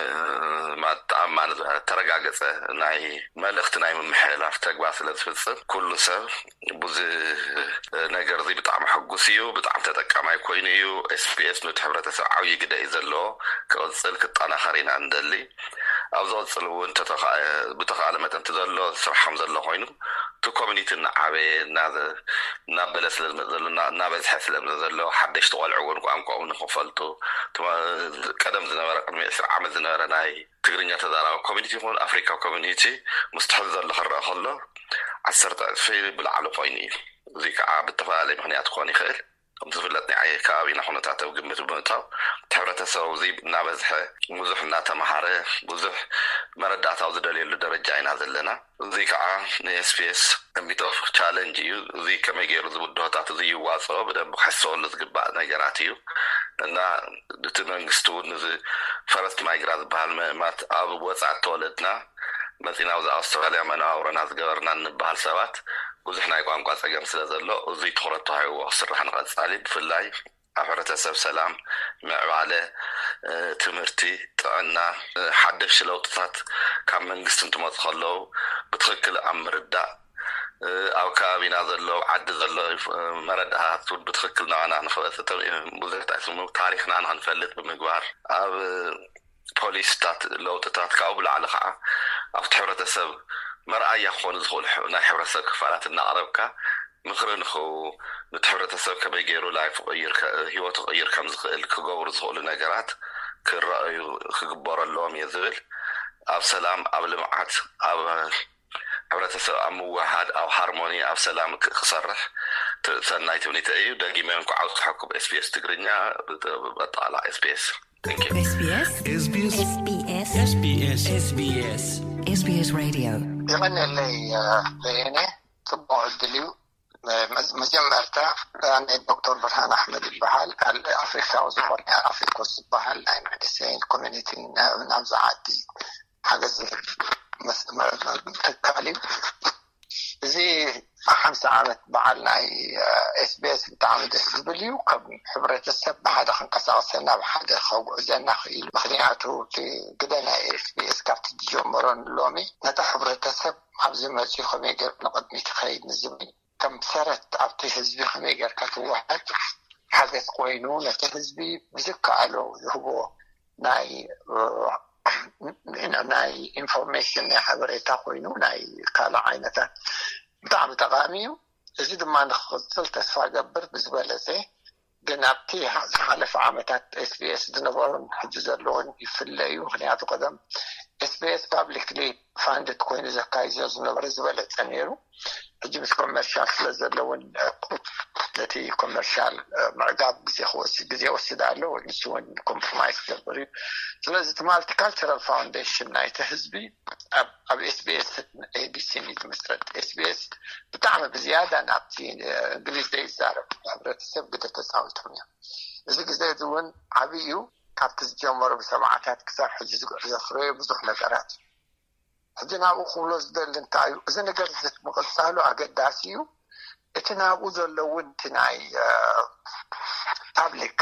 ተኣማኒ ተረጋገፀ ናይ መልእኽቲ ናይ ምምሕልላፍ ተግባር ስለ ዝፍፅም፣ ኩሉ ሰብ ብዙ ነገር እዚ ብጣዕሚ ሕጉስ እዩ። ብጣዕሚ ተጠቃማይ ኮይኑ እዩ። ኤስቢኤስ ነቲ ሕብረተሰብ ዓብዪ ግደ እዩ ዘለዎ። ክቕፅል ክጠናኸር ኢና እንደሊ። ኣብ ዝቕፅል እውን ብተኻእለ መጠን እቲ ዘሎ ስራሕ ከም ዘሎ ኮይኑ፣ እቲ ኮሚኒቲ እናዓበየ እናበለ ስለዝመፅ ዘሎ፣ እናበዝሐ ስለምዘ ዘሎ፣ ሓደሽቲ ቆልዑ እውን ቋንቋ እውን ንክፈልጡ፣ ቀደም ዝነበረ፣ ቅድሚ ዕስራ ዓመት ዝነበረ ናይ ትግርኛ ተዛራቢ ኮሚኒቲ ይኹን ኣፍሪካ ኮሚኒቲ ምስቲ ሕዚ ዘሎ ክረአ ከሎ ዓሰርተ ዕፅፊ ብላዕሊ ኮይኑ እዩ። እዚ ከዓ ብተፈላለየ ምክንያት ክኾን ይኽእል። ከም ዝፍለጥ ናይ ከባቢና ኩነታት ኣብ ግምት ብምእታው፣ እቲ ሕብረተሰብ እዚ እናበዝሐ፣ ብዙሕ እናተምሃረ፣ ብዙሕ መረዳእታ ኣብ ዝደልየሉ ደረጃ ኢና ዘለና። እዚ ከዓ ንኤስቢኤስ ሚት ኦፍ ቻለንጅ እዩ። እዚ ከመይ ገይሩ እዚ ብድሆታት እዚ ይዋፅኦ ብደንብ ክሕሰበሉ ዝግባእ ነገራት እዩ። እና እቲ መንግስቲ እውን እዚ ፈረስት ማይግራ ዝበሃል መማት ኣብ ወፃእ ተወለድና መፂና ኣብዚ ኣውስትራልያ መነባብሮና ዝገበርና እንበሃል ሰባት ብዙሕ ናይ ቋንቋ ፀገም ስለ ዘሎ፣ እዙይ ትኹረት ተዋሂብዎ ክስራሕ ንቐፃሊ፣ ብፍላይ ኣብ ሕብረተሰብ ሰላም፣ ምዕባለ፣ ትምህርቲ፣ ጥዕና፣ ሓደሽቲ ለውጥታት ካብ መንግስቲ እንትመፁ ከለዉ ብትኽክል ኣብ ምርዳእ፣ ኣብ ከባቢና ዘሎ፣ ኣብ ዓዲ ዘሎ መረዳእታት እውን ብትኽክል ናባና ንክበፅሕ፣ ብዙሕ እንታይ ስሙ ታሪኽና ንክንፈልጥ ብምግባር፣ ኣብ ፖሊስታት ለውጥታት ካብኡ ብላዕሊ ከዓ ኣብቲ ሕብረተሰብ መርኣያ ክኾኑ ዝኽእሉ ናይ ሕብረተሰብ ክፋላት እናቕረብካ ምኽሪ ንኽህቡ፣ ነቲ ሕብረተሰብ ከመይ ገይሩ ላይፍ ክቕይር፣ ህይወቱ ክቕይር ከም ዝኽእል ክገብሩ ዝኽእሉ ነገራት ክረኣዩ ክግበሩ ኣለዎም እየ ዝብል። ኣብ ሰላም፣ ኣብ ልምዓት፣ ኣብ ሕብረተሰብ ኣብ ምውህሃድ፣ ኣብ ሃርሞኒ፣ ኣብ ሰላም ክሰርሕ ሰናይ ትምኒተይ እዩ። ደጊመ እንኳዕ ኣብፀሐኩም ኤስቢኤስ ትግርኛ፣ ኣጠቓላሊ ኤስቢኤስ። Thank you. SBS SBS SBS SBS Radio. የቐንየለይ በየነ፣ ፅቡቕ ዕድል እዩ። መጀመርታ ኣነ ዶክተር ብርሃን ኣሕመድ ይበሃል። ካልእ ኣፍሪካዊ ዝኾነ ኣፍሪኮስ ዝበሃል ናይ መንእሰይን ኮሚኒቲ ናብዛ ዓዲ ሓገዝ ትካል እዩ። እዚ ሓምሳ ዓመት በዓል ናይ ኤስቢኤስ ብጣዕሚ ደስ ዝብል እዩ። ከም ሕብረተሰብ ብሓደ ክንቀሳቀሰና ብሓደ ከጉዕዘና ክኢሉ። ምክንያቱ እቲ ግደ ናይ ኤስቢኤስ ካብቲ ዝጀመሮ ንሎሚ ነቲ ሕብረተሰብ ኣብዚ መፅኡ ከመይ ገይሩ ንቅድሚት ይኸይድ ንዝብል ከም ሰረት ኣብቲ ህዝቢ ከመይ ጌርካ ትወሃድ ሓገዝ ኮይኑ ነቲ ህዝቢ ብዝከኣሎ ዝህቦ ናይ ናይ ኢንፎርሜሽን ናይ ሓበሬታ ኮይኑ ናይ ካልእ ዓይነታት ብጣዕሚ ጠቃሚ እዩ። እዚ ድማ ንክቕፅል ተስፋ ገብር ብዝበለፀ ግን ኣብቲ ዝሓለፈ ዓመታት ኤስቢኤስ ዝነበሩን ሕጂ ዘለውን ይፍለ እዩ። ምክንያቱ ቀደም ኤስቢኤስ ፓብሊክሊ ፋንድድ ኮይኑ ዘካይዞ ዝነበረ ዝበለፀ ነይሩ። ሕጂ ምስ ኮመርሻል ስለ ዘለውን ነቲ ኮመርሻል ምዕጋብ ግዜ ክወስድ ግዜ ወስድ ኣሎ። ንሱ እውን ኮምፕሮማይዝ ክገብር እዩ። ስለዚ እቲ ማልቲካልቸራል ፋውንዴሽን ናይቲ ህዝቢ ኣብ ኤስቢኤስ ኤቢሲ እዩ ዝምስረት። ኤስቢኤስ ብጣዕሚ ብዝያዳ ናብቲ እንግሊዝ ዘይዛረብ ሕብረተሰብ ግደ ተፃዊቶም እዮም። እዚ ግዜ እዚ እውን ዓብዪ እዩ። ካብቲ ዝጀመሩ ብሰብዓታት ክሳብ ሕዚ ዝጉዕዞ ፍረዮ ብዙሕ ነገራት እዩ። ሕጂ ናብኡ ክብሎ ዝደሊ እንታይ እዩ፣ እዚ ነገር እዚ ምቕፃሉ ኣገዳሲ እዩ። እቲ ናብኡ ዘሎ እውን እቲ ናይ ፓብሊክ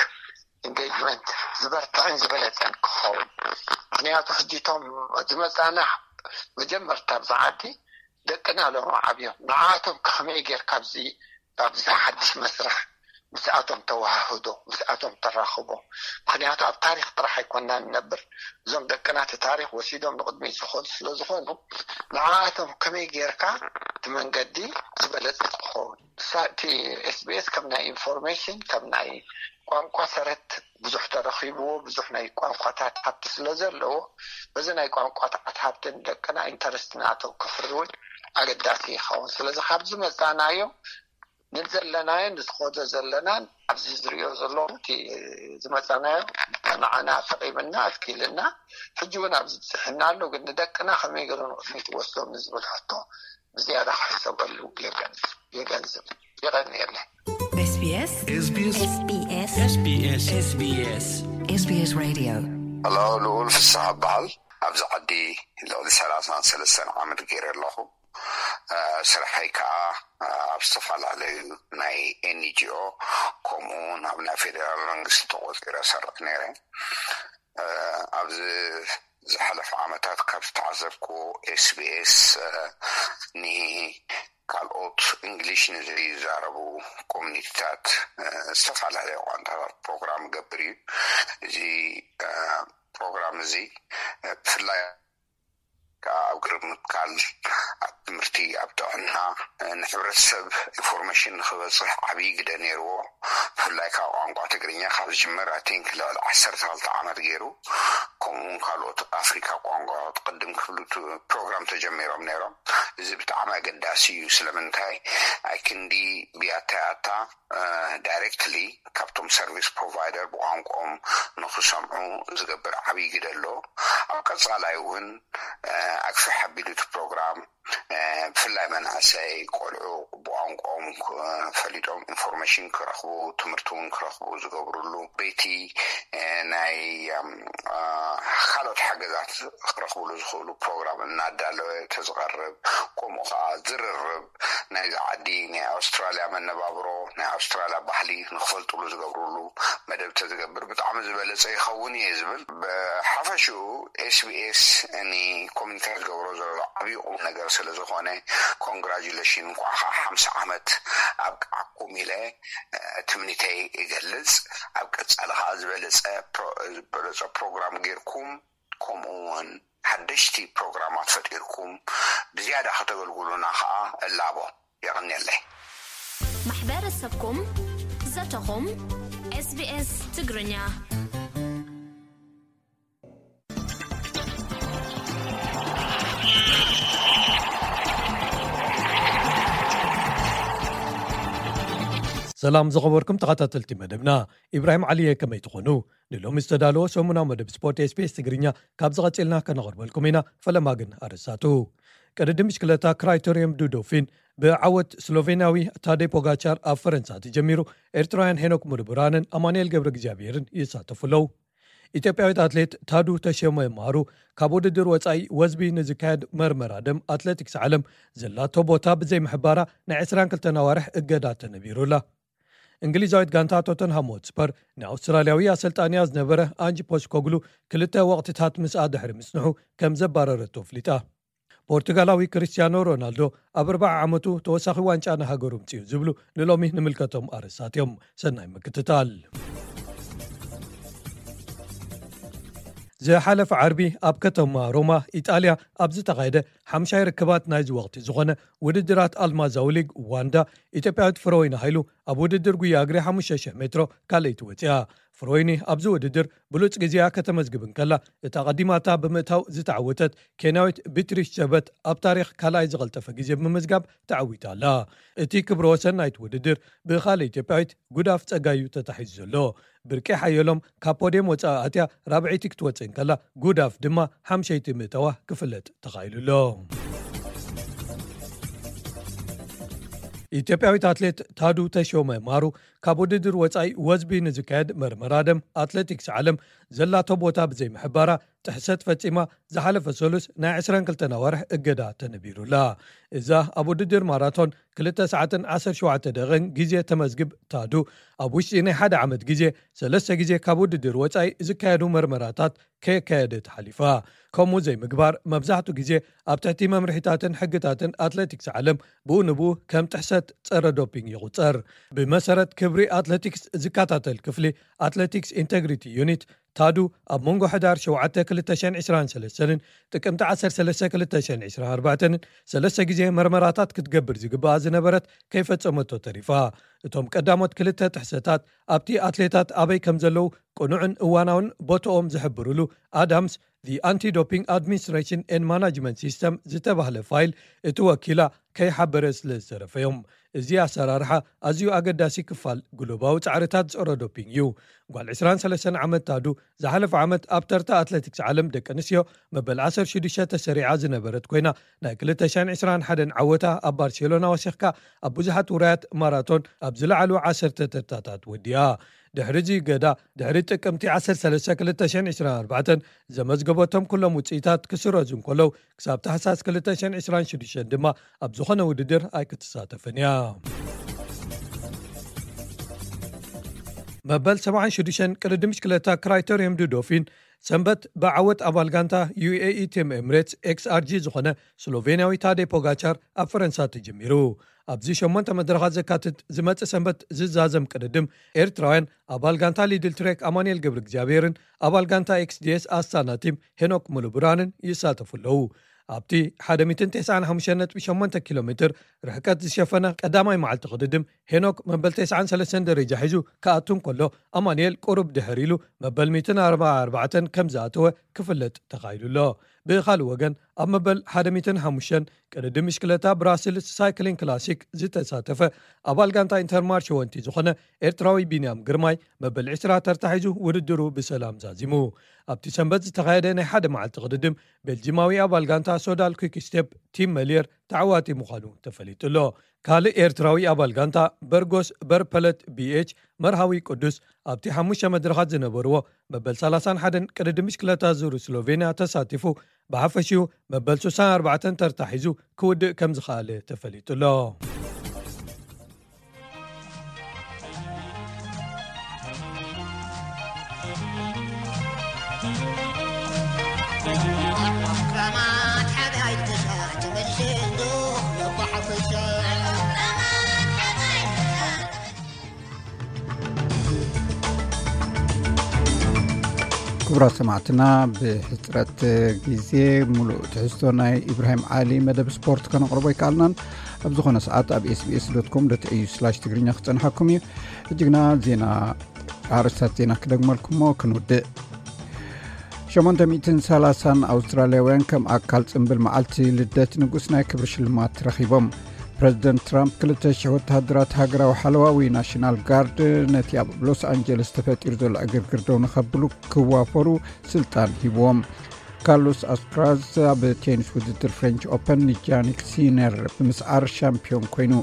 ኢንጌጅመንት ዝበርትዕን ዝበለፀን ክኸውን። ምክንያቱ ሕጂ እቶም ዝመፃና መጀመርታ ኣብዚ ዓዲ ደቅና ሎም ዓብዮም፣ ንዓቶም ከመይ ጌርካ ኣብዚ ኣብዚ ሓድሽ መስርሕ ምስኣቶም ተወሃህዶ፣ ምስኣቶም ተራኽቦ። ምክንያቱ ኣብ ታሪክ ጥራሕ ኣይኮና ንነብር። እዞም ደቅና እቲ ታሪክ ወሲዶም ንቕድሚት ዝኸዱ ስለ ዝኾኑ ንዓኣቶም ከመይ ጌርካ እቲ መንገዲ ዝበለፀ ክኸውን። ንሳ እቲ ኤስቢኤስ ከም ናይ ኢንፎርሜሽን ከም ናይ ቋንቋ ሰረት ብዙሕ ተረኺብዎ፣ ብዙሕ ናይ ቋንቋታት ሃብቲ ስለ ዘለዎ በዚ ናይ ቋንቋታት ሃብትን ደቅና ኢንተረስት ናቶም ክፍሪ እውን ኣገዳሲ ይኸውን። ስለዚ ካብዚ መፃናዮ ንዘለናዮ ንዝኸዶ ዘለናን ኣብዚ ዝሪኦ ዘለኹ እቲ ዝመፃናዮ ንዓና ጠቒምና ኣትኪልና ሕጂ እውን ኣብዚ ብፅሕና ኣሎ፣ ግን ንደቅና ከመይ ገይሩ ንቕድሚት ወስዶም ንዝብል ሕቶ ብዝያዳ ክሕሰበሉ የገንዝብ የገንዝብ። የቐንየለይ። SBS SBS SBS SBS Radio. ሎ ልኡል ፍስሓ በሃል። ኣብዚ ዓዲ ልዕሊ ሰላሳን ሰለስተን ዓመት ገይረ ኣለኹ። ስርሐይ ከዓ ኣብ ዝተፈላለዩ ናይ ኤንጂኦ ከምኡ እውን ኣብ ናይ ፌደራል መንግስቲ ተቆፂረ ሰርሕ ነይረ። ኣብዚ ዝሓለፈ ዓመታት ካብ ዝተዓዘብኩ ኤስቢኤስ ንካልኦት እንግሊሽ ንዘይዛረቡ ኮሚኒቲታት ዝተፈላለዩ ቋንቋታት ፕሮግራም ገብር እዩ። እዚ ፕሮግራም እዚ ብፍላይ ከዓ ኣብ ግርብ ምትካል ኣብ ትምህርቲ ኣብ ጥዕና ንሕብረተሰብ ኢንፎርሜሽን ንክበፅሕ ዓብዪ ግደ ነይርዎ። ብፍላይ ከዓ ቋንቋ ትግርኛ ካብ ዝጅምር ኣይ ቲንክ ልዕሊ ዓሰርተ ክልተ ዓመት ገይሩ። ከምኡውን ካልኦት ኣፍሪካ ቋንቋ ቅድም ክብሉ ፕሮግራም ተጀሚሮም ነይሮም። እዚ ብጣዕሚ ኣገዳሲ እዩ። ስለምንታይ ኣይ ክንዲ ብያታ ያታ ዳይሬክትሊ ካብቶም ሰርቪስ ፕሮቫይደር ብቋንቋኦም ንክሰምዑ ዝገብር ዓብዪ ግደ ኣሎ። ኣብ ቀፃላይ እውን ኣግፍሕ ኣቢሉ እቲ ፕሮግራም ብፍላይ መናእሰይ ቆልዑ ብቋንቋኦም ፈሊጦም ኢንፎርሜሽን ክረኽቡ ትምህርቲ እውን ክረኽቡ ዝገብርሉ በይቲ ናይ ካልኦት ሓገዛት ክረኽብሉ ዝኽእሉ ፕሮግራም እናዳለወ ተዝቐርብ ከምኡ ከዓ ዝርርብ ናይዚ ዓዲ ናይ ኣውስትራልያ መነባብሮ ናይ ኣውስትራልያ ባህሊ ንክፈልጥሉ ዝገብርሉ መደብ ተዝገብር ብጣዕሚ ዝበለፀ ይኸውን እየ ዝብል። ብሓፈሽኡ ኤስቢኤስ ኒ ኮሚኒቲ ዝገብሮ ዘሎ ዓብዪ ቁም ነገር ስለ ዝኾነ ኮንግራጁሌሽን እንኳዕ ከዓ ሓምሳ ዓመት ኣብቅዓኩም ኢለ ትምኒተይ እገልፅ። ኣብ ቀፃሊ ከዓ ዝበለፀ ዝበለፀ ፕሮግራም ጌርኩም ከምኡ እውን ሓደሽቲ ፕሮግራማት ፈጢርኩም ብዝያዳ ከተገልግሉና ከዓ እላቦ። የቐንየለይ። ማሕበረሰብኩም ዘተኹም። SBS ትግርኛ። ሰላም ዝኸበርኩም ተኸታተልቲ መደብና፣ ኢብራሂም ዓሊ እየ። ከመይ ትኾኑ? ንሎሚ ዝተዳለወ ሰሙናዊ መደብ ስፖርት ኤስቢኤስ ትግርኛ ካብዚ ቀጺልና ከነቕርበልኩም ኢና። ፈለማ ግን ኣርእስታቱ። ቅድድም ብሽክለታ ክራይተሪየም ዱ ዶፊን ብዓወት ስሎቬንያዊ ታዴ ፖጋቻር ኣብ ፈረንሳ ተጀሚሩ። ኤርትራውያን ሄኖክ ሙሉብርሃንን ኣማኑኤል ገብረ እግዚኣብሄርን ይሳተፉ ኣለዉ። ኢትዮጵያዊት ኣትሌት ታዱ ተሾመ ማሩ ካብ ውድድር ወጻኢ ወዝቢ ንዝካየድ መርመራ ደም ኣትሌቲክስ ዓለም ዘላቶ ቦታ ብዘይምሕባራ ናይ ዕስራን ክልተን ኣዋርሕ እገዳ ተነቢሩላ። እንግሊዛዊት ጋንታ ቶተንሃም ሆትስፐር ንኣውስትራልያዊ ኣሰልጣንያ ዝነበረ ኣንጅ ፖስኮግሉ ክልተ ወቕትታት ምስኣ ድሕሪ ምጽንሑ ከም ዘባረረቶ ኣፍሊጣ። ፖርቱጋላዊ ክርስቲያኖ ሮናልዶ ኣብ ኣርብዓ ዓመቱ ተወሳኺ ዋንጫ ንሃገሩ ምጽኡ ዝብሉ ንሎሚ ንምልከቶም ኣርእስታት እዮም። ሰናይ ምክትታል። ዝሓለፈ ዓርቢ ኣብ ከተማ ሮማ ኢጣልያ ኣብ ዝተኻየደ ሓምሻይ ርክባት ናይዚ ወቕቲ ዝኾነ ውድድራት ኣልማዛዊ ሊግ ዋንዳ፣ ኢትዮጵያዊት ፍረወይኒ ሃይሉ ኣብ ውድድር ጉያ እግሪ ሓሙሽተ ሽሕ ሜትሮ ካልኣይቲ ወፂኣ። ፍረወይኒ ኣብዚ ውድድር ብሉፅ ግዜኣ ከተመዝግብ እንከላ፣ እታ ቀዲማታ ብምእታው ዝተዓወተት ኬንያዊት ቢትሪሽ ጀበት ኣብ ታሪኽ ካልኣይ ዝቐልጠፈ ግዜ ብምምዝጋብ ተዓዊታ ኣላ። እቲ ክብረ ወሰን ናይቲ ውድድር ብኻልእ ኢትዮጵያዊት ጉዳፍ ጸጋዩ ተታሒዙ ዘሎ። ብርቂ ሓየሎም ካብ ፖድየም ወጻኢ ኣትያ ራብዐይቲ ክትወጽእ እንከላ፣ ጉዳፍ ድማ ሓምሸይቲ ምእታዋ ክፍለጥ ተኻኢሉ ኣሎ። ኢትዮጵያዊት ኣትሌት ታዱ ተሾመ ማሩ ካብ ውድድር ወጻኢ ወዝቢ ንዝካየድ መርመራ ደም ኣትሌቲክስ ዓለም ዘላቶ ቦታ ብዘይምሕባራ ጥሕሰት ፈጺማ ዝሓለፈ ሰሉስ ናይ ዕስራን ክልተን ኣዋርሕ እገዳ ተነቢሩላ። እዛ ኣብ ውድድር ማራቶን ክልተ ሰዓትን ዓሰርተ ሸውዓተ ደቂቕን ግዜ ተመዝግብ ታዱ፣ ኣብ ውሽጢ ናይ ሓደ ዓመት ግዜ ሰለስተ ግዜ ካብ ውድድር ወጻኢ ዝካየዱ መርመራታት ከየካየደት ሓሊፋ። ከምኡ ዘይምግባር መብዛሕቱ ግዜ ኣብ ትሕቲ መምርሒታትን ሕግታትን ኣትሌቲክስ ዓለም ብኡ ንብኡ ከም ጥሕሰት ጸረ ዶፒንግ ይቑጸር። ብመሰረት ክብሪ ኣትሌቲክስ ዝከታተል ክፍሊ ኣትሌቲክስ ኢንተግሪቲ ዩኒት፣ ታዱ ኣብ መንጎ ሕዳር ሸውዓተ ክልተ ሽሕን ዕስራን ሰለስተን ጥቅምቲ ዓሰርተ ሰለስተ ክልተ ሽሕን ዕስራን ኣርባዕተን ሰለስተ ግዜ መርመራታት ክትገብር ዝግባኣ ዝነበረት ከይፈጸመቶ ተሪፋ። እቶም ቀዳሞት ክልተ ጥሕሰታት ኣብቲ ኣትሌታት ኣበይ ከም ዘለዉ ቅኑዕን እዋናውን ቦትኦም ዝሕብርሉ ኣዳምስ፣ The Anti-Doping Administration and Management System ዝተባህለ ፋይል እቲ ወኪላ ከይሓበረ ስለ ዝተረፈ እዮም። እዚ ኣሰራርሓ ኣዝዩ ኣገዳሲ ክፋል ግሎባዊ ጻዕርታት ጸረ ዶፒንግ እዩ። ጓል ዕስራን ሰለስተን ዓመት ታዱ ዝሓለፈ ዓመት ኣብ ተርታ ኣትሌቲክስ ዓለም ደቂ ኣንስትዮ መበል ዓሰርተ ሽዱሽተ ተሰሪዓ ዝነበረት ኮይና፣ ናይ ክልተ ሽሕን ዕስራን ሓደን ዓወታ ኣብ ባርሴሎና ወሲኽካ ኣብ ብዙሓት ውራያት ማራቶን ኣብ ዝለዓሉ ዓሰርተ ተርታታት ወዲኣ። ድሕሪ እዚ እገዳ፣ ድሕሪ ጥቅምቲ ዓሰርተ ሰለስተ ክልተ ሽሕን ዕስራን ኣርባዕተን ዘመዝገበቶም ኩሎም ውጽኢታት ክስረዙ እንከለዉ፣ ክሳብ ታሕሳስ ክልተ ሽሕን ዕስራን ሽዱሽተን ድማ ኣብ ዝኾነ ውድድር ኣይክትሳተፍን እያ። መበል ሰብዓን ሽዱሽተን ቅድድም ብሽክለታ ክራይተሪየም ዱ ዶፊን ሰንበት ብዓወት ኣባል ጋንታ ዩ ኤ ኢ ቲም ኤምሬትስ ኤክስ ኣር ጂ ዝኾነ ስሎቬንያዊ ታዴ ፖጋቻር ኣብ ፈረንሳ ተጀሚሩ። ኣብዚ ሸሞንተ መድረኻት ዘካትት ዝመጽእ ሰንበት ዝዛዘም ቅድድም፣ ኤርትራውያን ኣባል ጋንታ ሊድል ትሬክ ኣማኑኤል ገብረ እግዚኣብሔርን ኣባል ጋንታ ኤክስ ዲ ኤስ ኣስታና ቲም ሄኖክ ሙሉብርሃንን ይሳተፉ ኣለዉ። ኣብቲ ሓደ ሚእትን ተስዓን ሓሙሽተን ነጥቢ ሸሞንተ ኪሎ ሜትር ርሕቀት ዝሸፈነ ቀዳማይ መዓልቲ ቅድድም፣ ሄኖክ መበል ተስዓን ሰለስተን ደረጃ ሒዙ ክኣቱ እንከሎ፣ ኣማኑኤል ቁሩብ ድሕር ኢሉ መበል ሚእትን ኣርባዓን ኣርባዕተን ከም ዝኣተወ ክፍለጥ ተኻኢሉ ኣሎ። ብኻልእ ወገን፣ ኣብ መበል ሓደ ሚእትን ሓሙሽተን ቅድድም ብሽክለታ ብራስልስ ሳይክሊንግ ክላሲክ ዝተሳተፈ ኣባል ጋንታ ኢንተርማርሽ ወንቲ ዝኾነ ኤርትራዊ ቢንያም ግርማይ መበል ዕስራ ተርታ ሒዙ ውድድሩ ብሰላም ዛዚሙ። ኣብቲ ሰንበት ዝተኻየደ ናይ ሓደ መዓልቲ ቅድድም፣ ቤልጂማዊ ኣባል ጋንታ ሶዳል ኩክ ስቴፕ ቲም መሊየር ተዓዋቲ ምዃኑ ተፈሊጡ ኣሎ። ካልእ ኤርትራዊ ኣባል ጋንታ በርጎስ በርፐለት ቢ ኤች መርሃዊ ቅዱስ ኣብቲ ሓሙሽተ መድረኻት ዝነበርዎ መበል ሰላሳን ሓደን ቅድድም ብሽክለታ ዙር ስሎቬንያ ተሳቲፉ፣ ብሓፈሽኡ መበል ስሳን ኣርባዕተን ተርታ ሒዙ ክውድእ ከም ዝኸኣለ ተፈሊጡ ኣሎ። ክቡራት ሰማዕትና፣ ብሕፅረት ግዜ ሙሉእ ትሕዝቶ ናይ ኢብራሂም ዓሊ መደብ ስፖርት ከነቕርቦ ኣይከኣልናን። ኣብ ዝኾነ ሰዓት ኣብ ኤስ ቢ ኤስ ዶት ኮም ዶት ኤ ዩ ስላሽ ትግርኛ ክጸንሓኩም እዩ። ሕጂ ግና ዜና፣ ኣርእስታት ዜና ክደግመልኩሞ ክንውድእ። ሸሞንተ ሚእትን ሰላሳን ኣውስትራልያውያን ከም ኣካል ጽምብል መዓልቲ ልደት ንጉስ ናይ ክብሪ ሽልማት ረኺቦም። ፕረዚደንት ትራምፕ ክልተ ሽሕ ወተሃደራት ሃገራዊ ሓለዋ ወይ ናሽናል ጋርድ ነቲ ኣብ ሎስ ኣንጀለስ ተፈጢሩ ዘሎ ዕግርግር ደው ንኸብሉ ክዋፈሩ ስልጣን ሂብዎም። ካርሎስ ኣልካራዝ ኣብ ቴኒስ ውድድር ፍሬንች ኦፐን ንጃኒክ ሲነር ብምስዓር ሻምፒዮን ኮይኑ።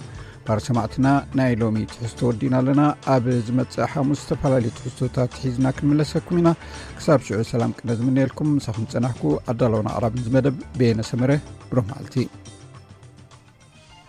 ባር ሰማዕትና፣ ናይ ሎሚ ትሕዝቶ ወዲና ኣለና። ኣብ ዝመጽእ ሓሙስ ዝተፈላለዩ ትሕዝቶታት ሒዝና ክንምለሰኩም ኢና። ክሳብ ሽዑ ሰላም ቅነ ዝምነየልኩም። ምሳኹም ጸናሕኩ ኣዳለውን ኣቕራብን ዝመደብ በየነ ሰመረ። ብሩህ መዓልቲ።